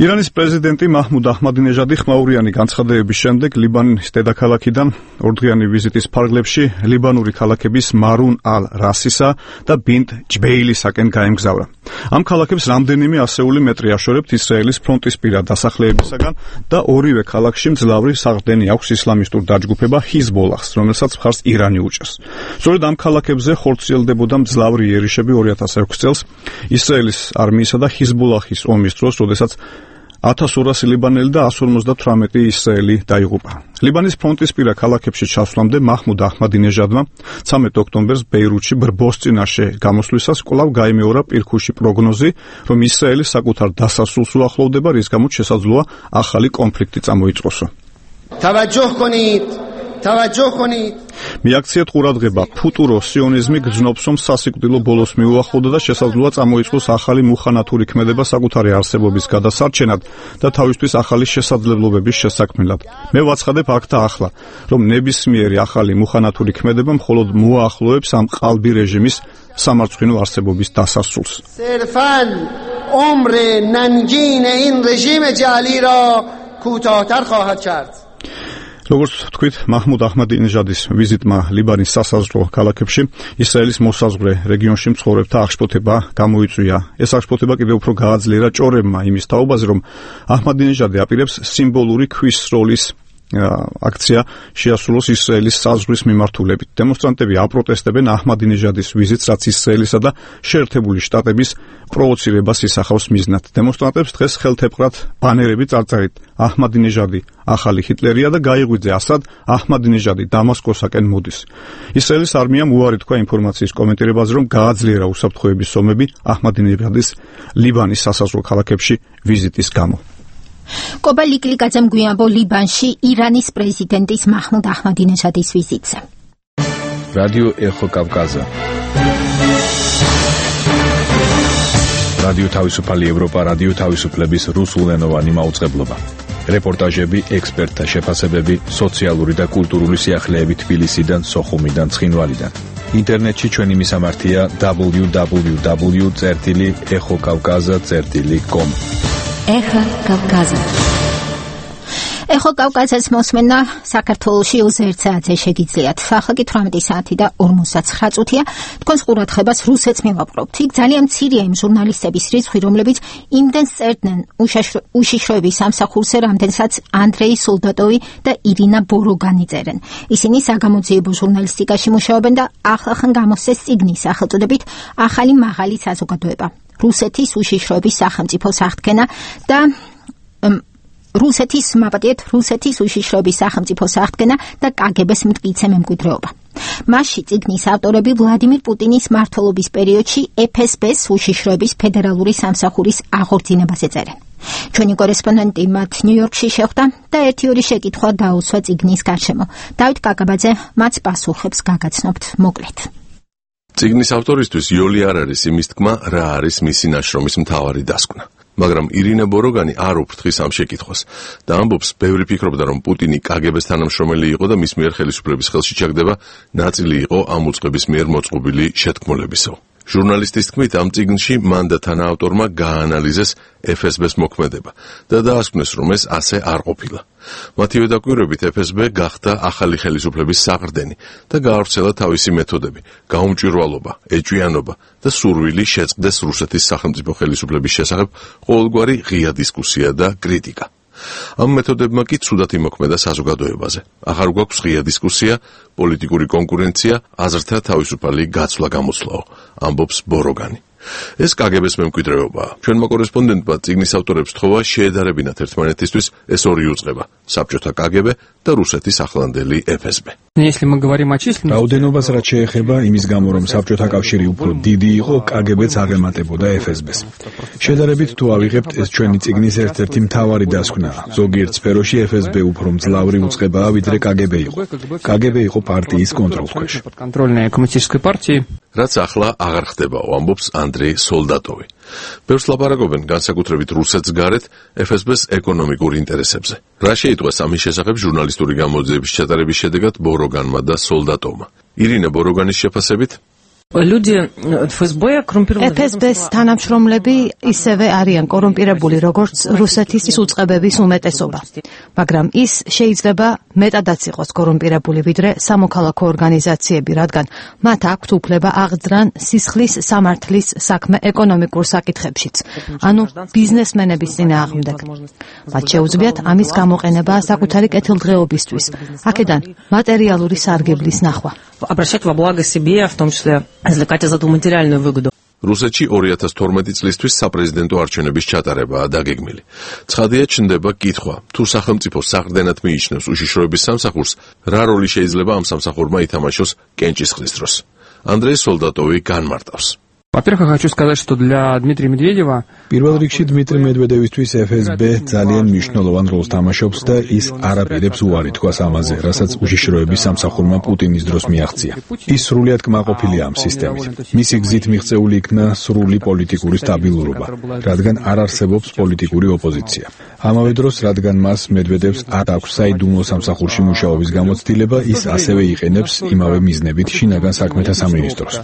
ირანის პრეზიდენტი მაჰმუდ აჰმადინეჟადი ხმაურიანი განცხადებების შემდეგ ლიბანის დედაქალაქიდან ორდღიანი ვიზიტის ფარგლებში ლიბანური ქალაქების მარუნ ალ-რასისა და ბინტ ჯბეილისაკენ გაემგზავრა. ამ ქალაქებს რამდენიმე ასეული მეტრი აშორებთ ისრაელის ფრონტისპირა დასახლებებისაგან და ორივე ქალაქში მძლავრი საყრდენი აქვს ისლამისტურ დაჯგუფება ჰიზბოლაჰს, რომელსაც მხარს ირანი უჭერს. სწორედ ამ ქალაქებზე ხორციელდებოდა მძლავრი იერიშები ორი ათას ექვსი წელს ისრაელის არმიისა და ჰიზბოლაჰის ომის დროს, როდესაც ათას ორასი ლიბანელი და ასი ორმოცდათვრამეტი ისრაელი დაიღუპა. ლიბანის ფრონტისპირა ქალაქებში ჩასვლამდე მაჰმუდ აჰმადინეჟადმა ცამეტ ოქტომბერს ბეირუთში ბრბოს წინაშე გამოსვლისას კვლავ გაიმეორა პირქუში პროგნოზი, რომ ისრაელი საკუთარ დასასრულს უახლოვდება, რის გამოც შესაძლოა ახალი კონფლიქტი წამოიწყოსო.
توجه کنید توجه کنید
მიაქციეთ ყურადღება, ფუტურო სიონიზმი გრძნობს, რომ სასიკვდილო ბოლოს მიუახლოვდა და შესაძლოა წამოიწყოს ახალი მუხანათური ქმედება საკუთარი არსებობის გადასარჩენად და თავისთვის ახალი შესაძლებლობების შესაქმნელად. მე ვაცხადებ აქ და ახლა, რომ ნებისმიერი ახალი მუხანათური ქმედება მხოლოდ მოახლოებს ამ ყალბი რეჟიმის სამარცხვინო არსებობის დასასრულს.
صرفاً عمر ننگین این رژیم جعلی را کوتاه‌تر خواهد کرد.
როგორც თქვით, მაჰმუდ აჰმადინეჟადის ვიზიტმა ლიბანის სასაზღვრო ქალაქებში ისრაელის მოსაზღვრე რეგიონში მცხოვრებთა აღშფოთება გამოიწვია. ეს აღშფოთება კიდევ უფრო გააძლიერა ჭორებმა იმის თაობაზე, რომ აჰმადინეჟადი აპირებს სიმბოლური ქვის სროლის აქცია შეასრულოს ისრაელის საზღვრის მიმართულებით. დემონსტრანტები აპროტესტებენ აჰმადინეჟადის ვიზიტს, რაც ისრაელისა და შეერთებული შტატების პროვოცირებას ისახავს მიზნად. დემონსტრანტებს დღეს ხელთეპყრად ბანერები წარწერით აჰმადინეჟადი ახალი ჰიტლერია და გაიღვიძე ასად აჰმადინეჟადი დამასკოსაკენ მოდის. ისრაელის არმიამ უარი თქვა ინფორმაციის კომენტირებაზე, რომ გააძლიერა უსაფრთხოების ომები აჰმადინეჟადის ლიბანის სასაზღვრო ქალაქებში ვიზიტის გამო.
კობა ლიკლიკაძემ გვიანბო ლიბანში ირანის პრეზიდენტის მაჰმუდ აჰმადინეჟადის ვიზიტზე.
რადიო ეხო კავკაზა. რადიო თავისუფალი ევროპა, რადიო თავისუფლების რუსულენოვანი მაუწყებლობა. რეპორტაჟები, ექსპერტთა შეფასებები, სოციალური და კულტურული სიახლეები თბილისიდან, სოხუმიდან, ცხინვალიდან. ინტერნეტში ჩვენი მისამართია დაბლიუ დაბლიუ დაბლიუ წერტილი ეხო კავკაზა წერტილი კომ.
ეხო კავკაზა. ეხო კავკაზას მოსმენა საქართველოში ოცდაერთ საათზე შეგიძლიათ. ახლა კი თვრამეტი საათი და ორმოცდაცხრა წუთია. თქვენს ყურადღებას რუსეთს მივაპყრობთ. იქ ძალიან მცირეა იმ ჟურნალისტების რიცხვი, რომლებიც იმდენს წერდნენ უშიშროების სამსახურზე, რამდენსაც ანდრეი სოლდატოვი და ირინა ბოროგანი წერენ. ისინი საგამოძიებო ჟურნალისტიკაში მუშაობენ და ახლახან გამოსცეს წიგნის სახელწოდებით ახალი მაღალი საზოგადოება. რუსეთის უშიშროების სახელმწიფოს აღდგენა და რუსეთის მაპატიეთ რუსეთის უშიშროების სახელმწიფოს აღდგენა და კაგებეს მტკიცე მემკვიდრეობა. მასში წიგნის ავტორები ვლადიმირ პუტინის მმართველობის პერიოდში ეფ ეს ბეს უშიშროების ფედერალური სამსახურის აღორძინებაზე წერენ. ჩვენი კორესპონდენტი მათ ნიუ-იორკში შეხვდა და ერთი-ორი შეკითხვა დაუსვა წიგნის გარშემო. დავით კაკაბაძე მათ პასუხებს გაგაცნობთ მოკლედ.
წიგნის ავტორისთვის იოლი არ არის იმის თქმა, რა არის მისი ნაშრომის მთავარი დასკვნა. მაგრამ ირინა ბოროგანი არ უფრთხის ამ შეკითხვას და ამბობს, ბევრი ფიქრობდა, რომ პუტინი კაგებეს თანამშრომელი იყო და მის მიერ ხელისუფლების ხელში ჩაგდება ნაწილი იყო ამ უწყების მიერ მოწყობილი შეთქმულებისო. ჟურნალისტის თქმით, ამ წიგნში მან და თანაავტორმა გააანალიზეს ეფ ეს ბეს მოქმედება და დაასკვნეს, რომ ეს ასე არ ყოფილა. მათივე დაკვირვებით ეფ ეს ბე გახდა ახალი ხელისუფლების საყრდენი და გაავრცელა თავისი მეთოდები, გაუმჭვირვალობა, ეჭვიანობა და სურვილი შეწყდეს რუსეთის სახელმწიფო ხელისუფლების შესახებ ყოველგვარი ღია დისკუსია და კრიტიკა. ამ მეთოდებმა კი ცუდად იმოქმედა საზოგადოებაზე. ახარ გვაქვს ღია დისკუსია, პოლიტიკური კონკურენცია, აზრთა თავისუფალი გაცვლა-გამოცვლაო, ამბობს ბოროგანი. ეს კაგებეს მემკვიდრეობაა. ჩვენმა კორესპონდენტმა წიგნის ავტორებს თხოვა შეედარებინათ ერთმანეთისთვის ეს ორი უწყება, საბჭოთა კაგებე და რუსეთის ახლანდელი ეფ ეს ბე.
რაოდენობას რაც შეეხება იმის გამო, რომ საბჭოთა კავშირი უფრო დიდი იყო, კაგებეც აღემატებოდა ეფ ეს ბეს. შედარებით თუ ავიღებთ, ეს ჩვენი წიგნის ერთ-ერთი მთავარი დასკვნაა. ზოგიერთ სფეროში ეფ ეს ბე უფრო მძლავრი უწყებაა, ვიდრე კაგებე იყო. კაგებე იყო პარტიის კონტროლქვეშ. რაც ახლა აღარ ხდებაო, ამბობს ანდრეი სოლდატოვი. ბევრს ლაპარაკობენ განსაკუთრებით რუსეთს გარეთ ეფ ეს ბეს ეკონომიკურ ინტერესებზე. რა შეიტყვეს ამის შესახებ ჟურნალისტური გამოძიების ჩატარების შედეგად ბოროგანმა და სოლდატოვმა. ირინა ბოროგანის შეფასებით,
ეფ ეს ბეს თანამშრომლები ისევე არიან კორუმპირებული, როგორც რუსეთის უწყებების უმეტესობა. მაგრამ ის შეიძლება მეტადაც იყოს კორუმპირებული, ვიდრე სამოქალაქო ორგანიზაციები, რადგან მათ აქვთ უფლება აღძრან სისხლის სამართლის საქმე ეკონომიკურ საკითხებშიც, ანუ ბიზნესმენების წინააღმდეგ. მათ შეუძლიათ ამის გამოყენება საკუთარი კეთილდღეობისთვის, აქედან მატერიალური სარგებლის ნახვა.
Обращать во благо себе, в том числе извлекать из этого материальную выгоду.
რუსეთში ორი ათას თორმეტი წლისთვის საპრეზიდენტო არჩევნების ჩატარებაა დაგეგმილი. ცხადია, ჩნდება კითხვა, თუ სახელმწიფო საყრდენად მიიჩნევს უშიშროების სამსახურს, რა როლი შეიძლება ამ სამსახურმა ითამაშოს კენჭისყრის დროს. ანდრეი სოლდატოვი განმარტავს.
Во-первых, я хочу сказать, что для Дмитрия Медведева
პირველ რიგში დმიტრი მედვედევისთვის ეფ ეს ბე ძალიან მნიშვნელოვან როლს თამაშობს და ის არაპირებს უარი თქვას ამაზე, რასაც უშიშროების სამსახურმა პუტინის დროს მიაღწია. ის სრულიად კმაყოფილია ამ სისტემით. მისი გზით მიღწეული იქნა სრული პოლიტიკური სტაბილურობა, რადგან არ არსებობს პოლიტიკური ოპოზიცია. ამავე დროს, რადგან მას მედვედევს არ აქვს საიდუმლო სამსახურში მუშაობის გამოცდილება, ის ასევე იყენებს იმავე მიზნებით შინაგან საქმეთა სამინისტროს.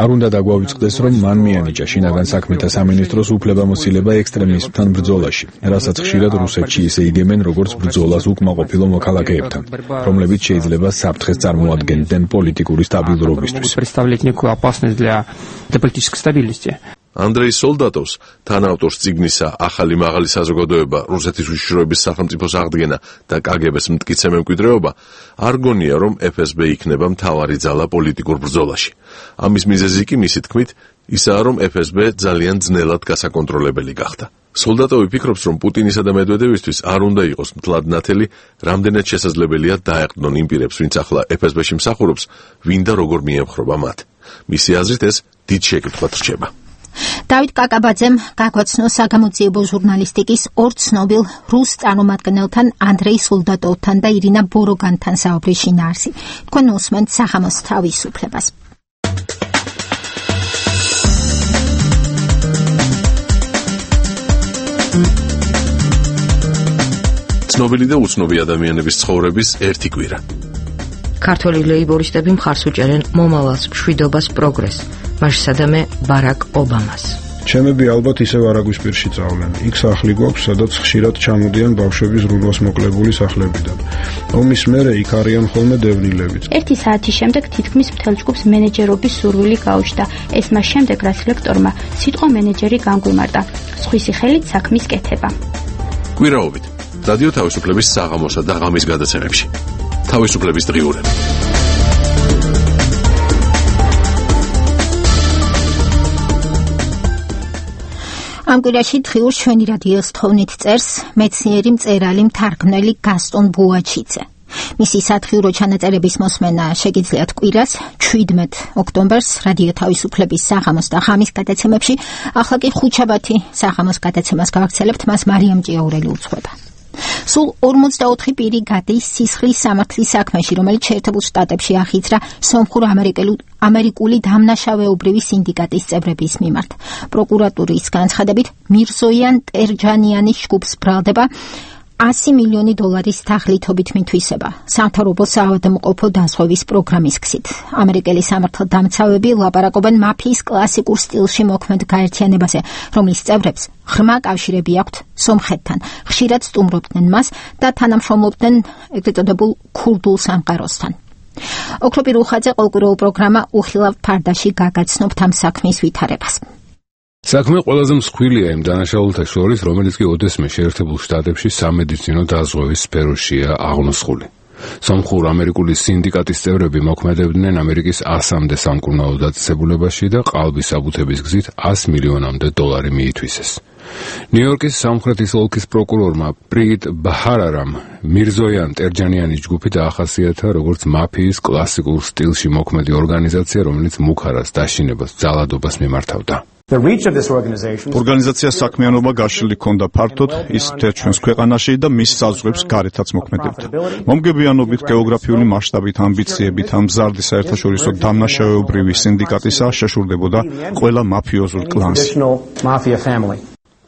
არ უნდა დაგვავიწყდეს, რომ მან მიანიჭა შინაგან საქმეთა სამინისტროს უფლებამოსილება ექსტრემიზმთან ბრძოლაში, რასაც ხშირად რუსეთში ისე იგებენ, როგორც ბრძოლას უკმაყოფილო მოქალაქეებთან, რომლებიც შეიძლება საფრთხეს წარმოადგენდნენ პოლიტიკური სტაბილურობისთვის.
ანდრეი სოლდატოვს, თანაავტორს წიგნისა ახალი მაღალი საზოგადოება, რუსეთის უშიშროების სახელმწიფოს აღდგენა და კაგებეს მტკიცე მემკვიდრეობა, არ გონია, რომ ეფ ეს ბე იქნება მთავარი ძალა პოლიტიკურ ბრძოლაში. ამის მიზეზი კი მისი თქმით ისაა, რომ ეფ ეს ბე ძალიან ძნელად გასაკონტროლებელი გახდა. სოლდატოვი ფიქრობს, რომ პუტინისა და მედვედევისთვის არ უნდა იყოს მთლად ნათელი, რამდენად შესაძლებელია დაეყრდნონ იმ პირებს, ვინც ახლა ეფ ეს ბეში მსახურობს, ვინ და როგორ მიემხრობა მათ. მისი აზრით ეს დიდ შეკითხვად რჩება.
დავით კაკაბაძემ გაგვაცნო საგამოძიებო ჟურნალისტიკის ორ ცნობილ რუს წარმომადგენელთან ანდრეი სოლდატოვთან და ირინა ბოროგანთან საუბრის შინაარსი. თქვენ უსმენთ სახამოს თავისუფლებას.
ცნობილი და უცნობი ადამიანების ცხოვრების ერთი კვირა.
ქართველი ლეიბორისტები მხარს უჭერენ მომავალს, მშვიდობას, პროგრესს, მასშტაბე ბარაკ ობამას.
ჩემები ალბათ ისევ არაგვისპირში წავლენ. იქ სახლი გვაქვს, სადაც ხშირად ჩამოდიან ბავშვები ზრუნვას მოკლებული სახლებიდან. ომის მერე იქ არიან ხოლმე დევნილებით.
ერთი საათის შემდეგ თითქმის მთელ ჯგუფს მენეჯერობის სურვილი გაუჩნდა. ეს მას შემდეგ, რაც ლექტორმა სიტყვა მენეჯერი განგვიმარტა. სხვისი ხელით საქმის კეთება.
კვირაობით რადიო თავისუფლების საღამოსა და ღამის გადაცემებში. თავისუფლების დღიურები.
ამ კვირაში დღიურს ჩვენი რადიოს თოვნით წერს მეცნიერი მწერალი მთარგმნელი გასტონ ბუაჩიძე. მისი სათხიურო ჩანაწერების მოსმენა შეგიძლიათ კვირას შვიდმეტ ოქტომბერს რადიო თავისუფლების საღამოს და ღამის გადაცემებში. ახლა კი ხუთშაბათი საღამოს გადაცემას გავაქცელებთ, მას მარიამ ჭიაურელი უძღვება. სულ ორმოცდაოთხი პირი გადის სისხლის სამართლის საქმეში, რომელიც შეერთებულ შტატებში ახიძრა სომხურ ამერიკული დამნაშავეობრივი სინდიკატის წევრების მიმართ. პროკურატურის განცხადებით, მირზოიან ტერჯანიანის ჯგუფს ბრალდება ასი მილიონი დოლარის თაღლითობით მითვისება სამთავრობო საავადმყოფო დაზღვევის პროგრამის გზით. ამერიკელი სამართალდამცავები ლაპარაკობენ მაფიის კლასიკურ სტილში მოქმედ გაერთიანებაზე, რომლის წევრებს ღრმა კავშირები აქვთ სომხეთთან. ხშირად სტუმრობდნენ მას და თანამშრომლობდნენ ეგრეთ წოდებულ ქურდულ სამყაროსთან. ოქროპირ უხაძე ყოველკვირეულ პროგრამა უხილავ ფარდაში გაგაცნობთ ამ საქმის ვითარებას.
საქმე ყველაზე მსხვილია იმ დანაშაულთა შორის, რომელიც კი ოდესმე შეერთებულ შტატებში სამედიცინო დაზღვევის სფეროშია აღნოსხული. სომხურ ამერიკული სინდიკატის წევრები მოქმედებდნენ ამერიკის ასამდე სამკურნალო დაწესებულებაში და ყალბის საბუთების გზით ასი მილიონამდე დოლარი მიითვისეს. ნიუ-იორკის სამხრეთის ოლქის პროკურორმა პრიგიტ ბაჰარარამ მირზოიან ტერჯანიანის ჯგუფი დაახასიათა როგორც მაფიის კლასიკურ სტილში მოქმედი ორგანიზაცია, რომელიც მუქარას, დაშინებას, ძალადობას მიმართავდა.
ორგანიზაციას საქმიანობა გაშლილი ჰქონდა ფართოდ, ის მთელ ჩვენს ქვეყანაში და მის საზღვრებს გარეთაც მოქმედებდა. მომგებიანობით, გეოგრაფიული მასშტაბით, ამბიციებით, ამ მზარდი საერთაშორისო დამნაშავეობრივი სინდიკატისა შეშურდებოდა ყველა მაფიოზულ კლანს.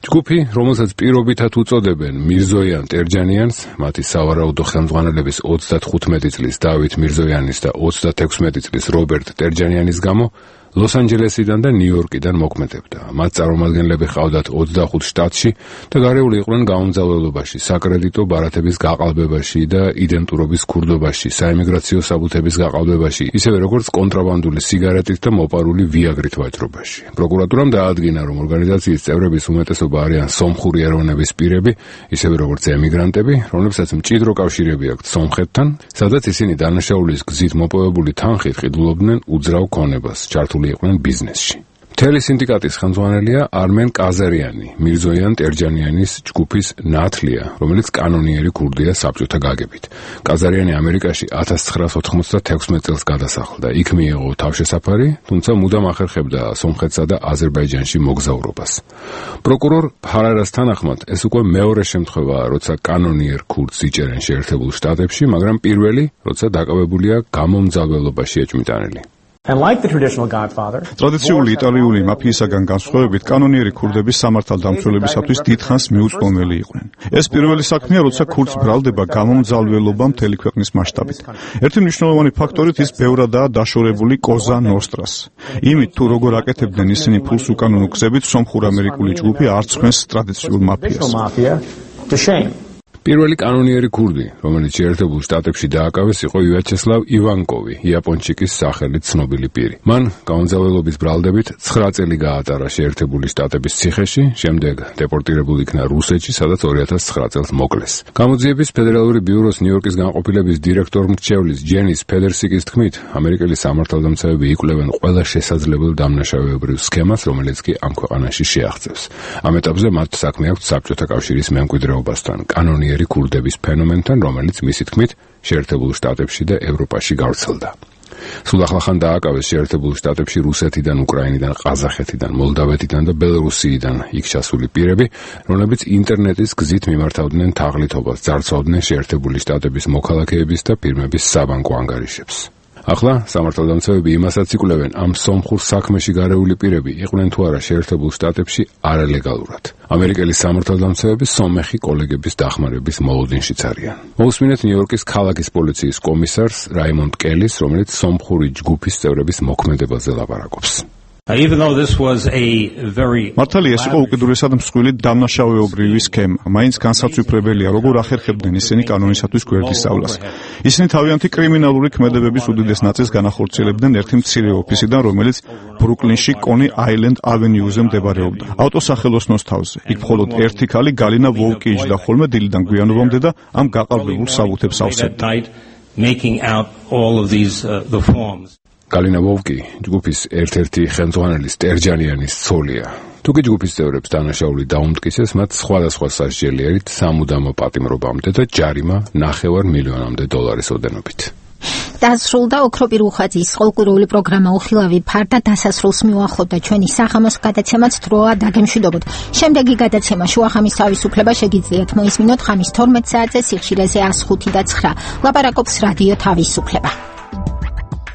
ჯგუფი, რომელსაც პირობითად უწოდებენ მირზოიან ტერჯანიანს, მათი სავარაუდო ხელმძღვანელების ოცდათხუთმეტი წლის დავით მირზოიანის და ოცდათექვსმეტი წლის რობერტ ტერჯანიანის გამო ლოს-ანჯელესიდან და ნიუ-იორკიდან მოქმედებდა. მათ წარმომადგენლები ჰყავდათ ოცდახუთ შტატში და გარეული იყვნენ გაუმძლავრებაში, საკრედიტო ბარათების გაყალბებაში და იდენტურობის ქურდობაში, საიმიგრაციო საბუთების გაყალბებაში, ისევე როგორც კონტრაბანდული სიგარეტით და მოპარული ვიაგრით ვაჭრობაში. პროკურატურამ დაადგინა, რომ ორგანიზაციის წევრების უმეტესობა არიან სომხური ეროვნების პირები, ისევე როგორც ემიგრანტები, რომლებსაც მჭიდრო კავშირები აქვთ სომხეთთან, სადაც ისინი დანაშაულის გზით მოპოვებული თანხით ყიდულობდნენ უძრავ ქონებას, ჩართული იყვნენ ბიზნესში. მთელი სინდიკატის ხელმძღვანელია არმენ კაზარიანი, მირზოიან ტერჯანიანის ჯგუფის ნათლია, რომელიც კანონიერი ქურდია საბჭოთა გაგებით. კაზარიანი ამერიკაში ათას ცხრაას ოთხმოცდათექვსმეტ წელს გადასახლდა. იქ მიიღო თავშესაფარი, თუმცა მუდამ ახერხებდა სომხეთსა და აზერბაიჯანში მოგზაურობას. პროკურორ ფარარას თანახმად, ეს უკვე მეორე შემთხვევაა, როცა კანონიერ ქურდს იჭერენ შეერთებულ შტატებში, მაგრამ პირველი, როცა დაკავებულია გამომძალველობაში ეჭვმიტანილი.
ტრადიციული იტალიური მაფიისაგან განსხვავებით, კანონიერი ქურდების სამართალდამცველებისათვის დიდხანს მიუწვდომელი იყვნენ. ეს პირველი საქმეა, როცა ქურდს ბრალდება გამომძალველობა მთელი ქვეყნის მასშტაბით. ერთი მნიშვნელოვანი ფაქტორით ის ბევრადაა დაშორებული კოზა ნოსტრას. იმით, თუ როგორ აკეთებდნენ ისინი ფულს უკანონო გზებით, სომხურ-ამერიკული ჯგუფი არ ცხვენს ტრადიციულ მაფიას.
პირველი კანონიერი ქურდი, რომელიც შეერთებულ შტატებში დააკავეს, იყო ვიაჩესლავ ივანკოვი, იაპონჩიკის სახელით ცნობილი პირი. მან გამომძალველობის ბრალდებით ცხრა წელი გაატარა შეერთებული შტატების ციხეში, შემდეგ დეპორტირებული იქნა რუსეთში, სადაც ორი ათას ცხრა წელს მოკლეს. გამოძიების ფედერალური ბიუროს ნიუ-იორკის განყოფილების დირექტორ მრჩევლის ჯენის ფედერსიკის თქმით, ამერიკელი სამართალდამცავები იკვლევენ ყველა შესაძლებელ დამნაშავეობრივ სქემას, რომელიც კი ამ ქვეყანაში შეაღწევს. ამ ეტაპზე მათ საქმე აქვთ საბჭოთა კავშირის მემკვიდრეობასთან, კანონიერი ქურდების ფენომენთან, რომელიც მისი თქმით შეერთებულ შტატებში და ევროპაში გავრცელდა. სულ ახლახან დააკავეს შეერთებულ შტატებში რუსეთიდან, უკრაინიდან, ყაზახეთიდან, მოლდავეთიდან და ბელორუსიიდან იქ ჩასული პირები, რომლებიც ინტერნეტის გზით მიმართავდნენ თაღლითობას, ძარცვავდნენ შეერთებული შტატების მოქალაქეების და ფირმების საბანკო ანგარიშებს. ახლა სამართალდამცავები იმასაც იკვლევენ, ამ სომხურ საქმეში გარეული პირები იყვნენ თუ არა შეერთებულ შტატებში არალეგალურად. ამერიკელი სამართალდამცავები სომეხი კოლეგების დახმარების მოლოდინშიც არიან. მოусმინეთ ნიუ-იორკის ქალაქის პოლიციის კომისარს რაიმონდ კელის, რომელიც სომხური ჯგუფის წევრების მოქმედებაზე ლაპარაკობს.
მართალია ეს იყო უკიდურესად მსხვილი დამნაშავეობრივი სქემა. მაინც განსაცვიფრებელია, როგორ ახერხებდნენ ისინი კანონისათვის გვერდის სწავლას. ისინი თავიანთი კრიმინალური ქმედებების უდიდეს ნაწილს განახორციელებდნენ ერთი მცირე ოფისიდან, რომელიც ბრუკლინში კონი აილენდ ავენიუზე მდებარეობდა. ავტოსახელოსნოს თავზე. იქ მხოლოდ ერთი ქალი გალინა ვოლკი იჯდა ხოლმე დილიდან გვიანობამდე და ამ გაყალბებულ საბუთებს ავსებდა. გალინა ვოლკი ჯგუფის ერთ-ერთი ხელმძღვანელი სტერჯანიანის ცოლია. თუკი ჯგუფის წევრებს დანაშაული დაუმტკიცეს, მათ სხვადასხვა სასჯელიერით სამუდამო პატიმრობამდე და ჯარიმა ნახევარ მილიონამდე დოლარის ოდენობით.
დასრულდა ოქროპირ უხაძის ყოველკვირეული პროგრამა უხილავი ფარდა დასასრულს მიუახლოვდა ჩვენი სახამოს გადაცემაც დროა დაგემშვიდობოთ. შემდეგი გადაცემა შუახამის თავისუფლება შეგიძლიათ მოისმინოთ ხამის თორმეტ საათზე სიხშირეზე ას ხუთი და ცხრა. ლაპარაკობს რადიო თავისუფლება.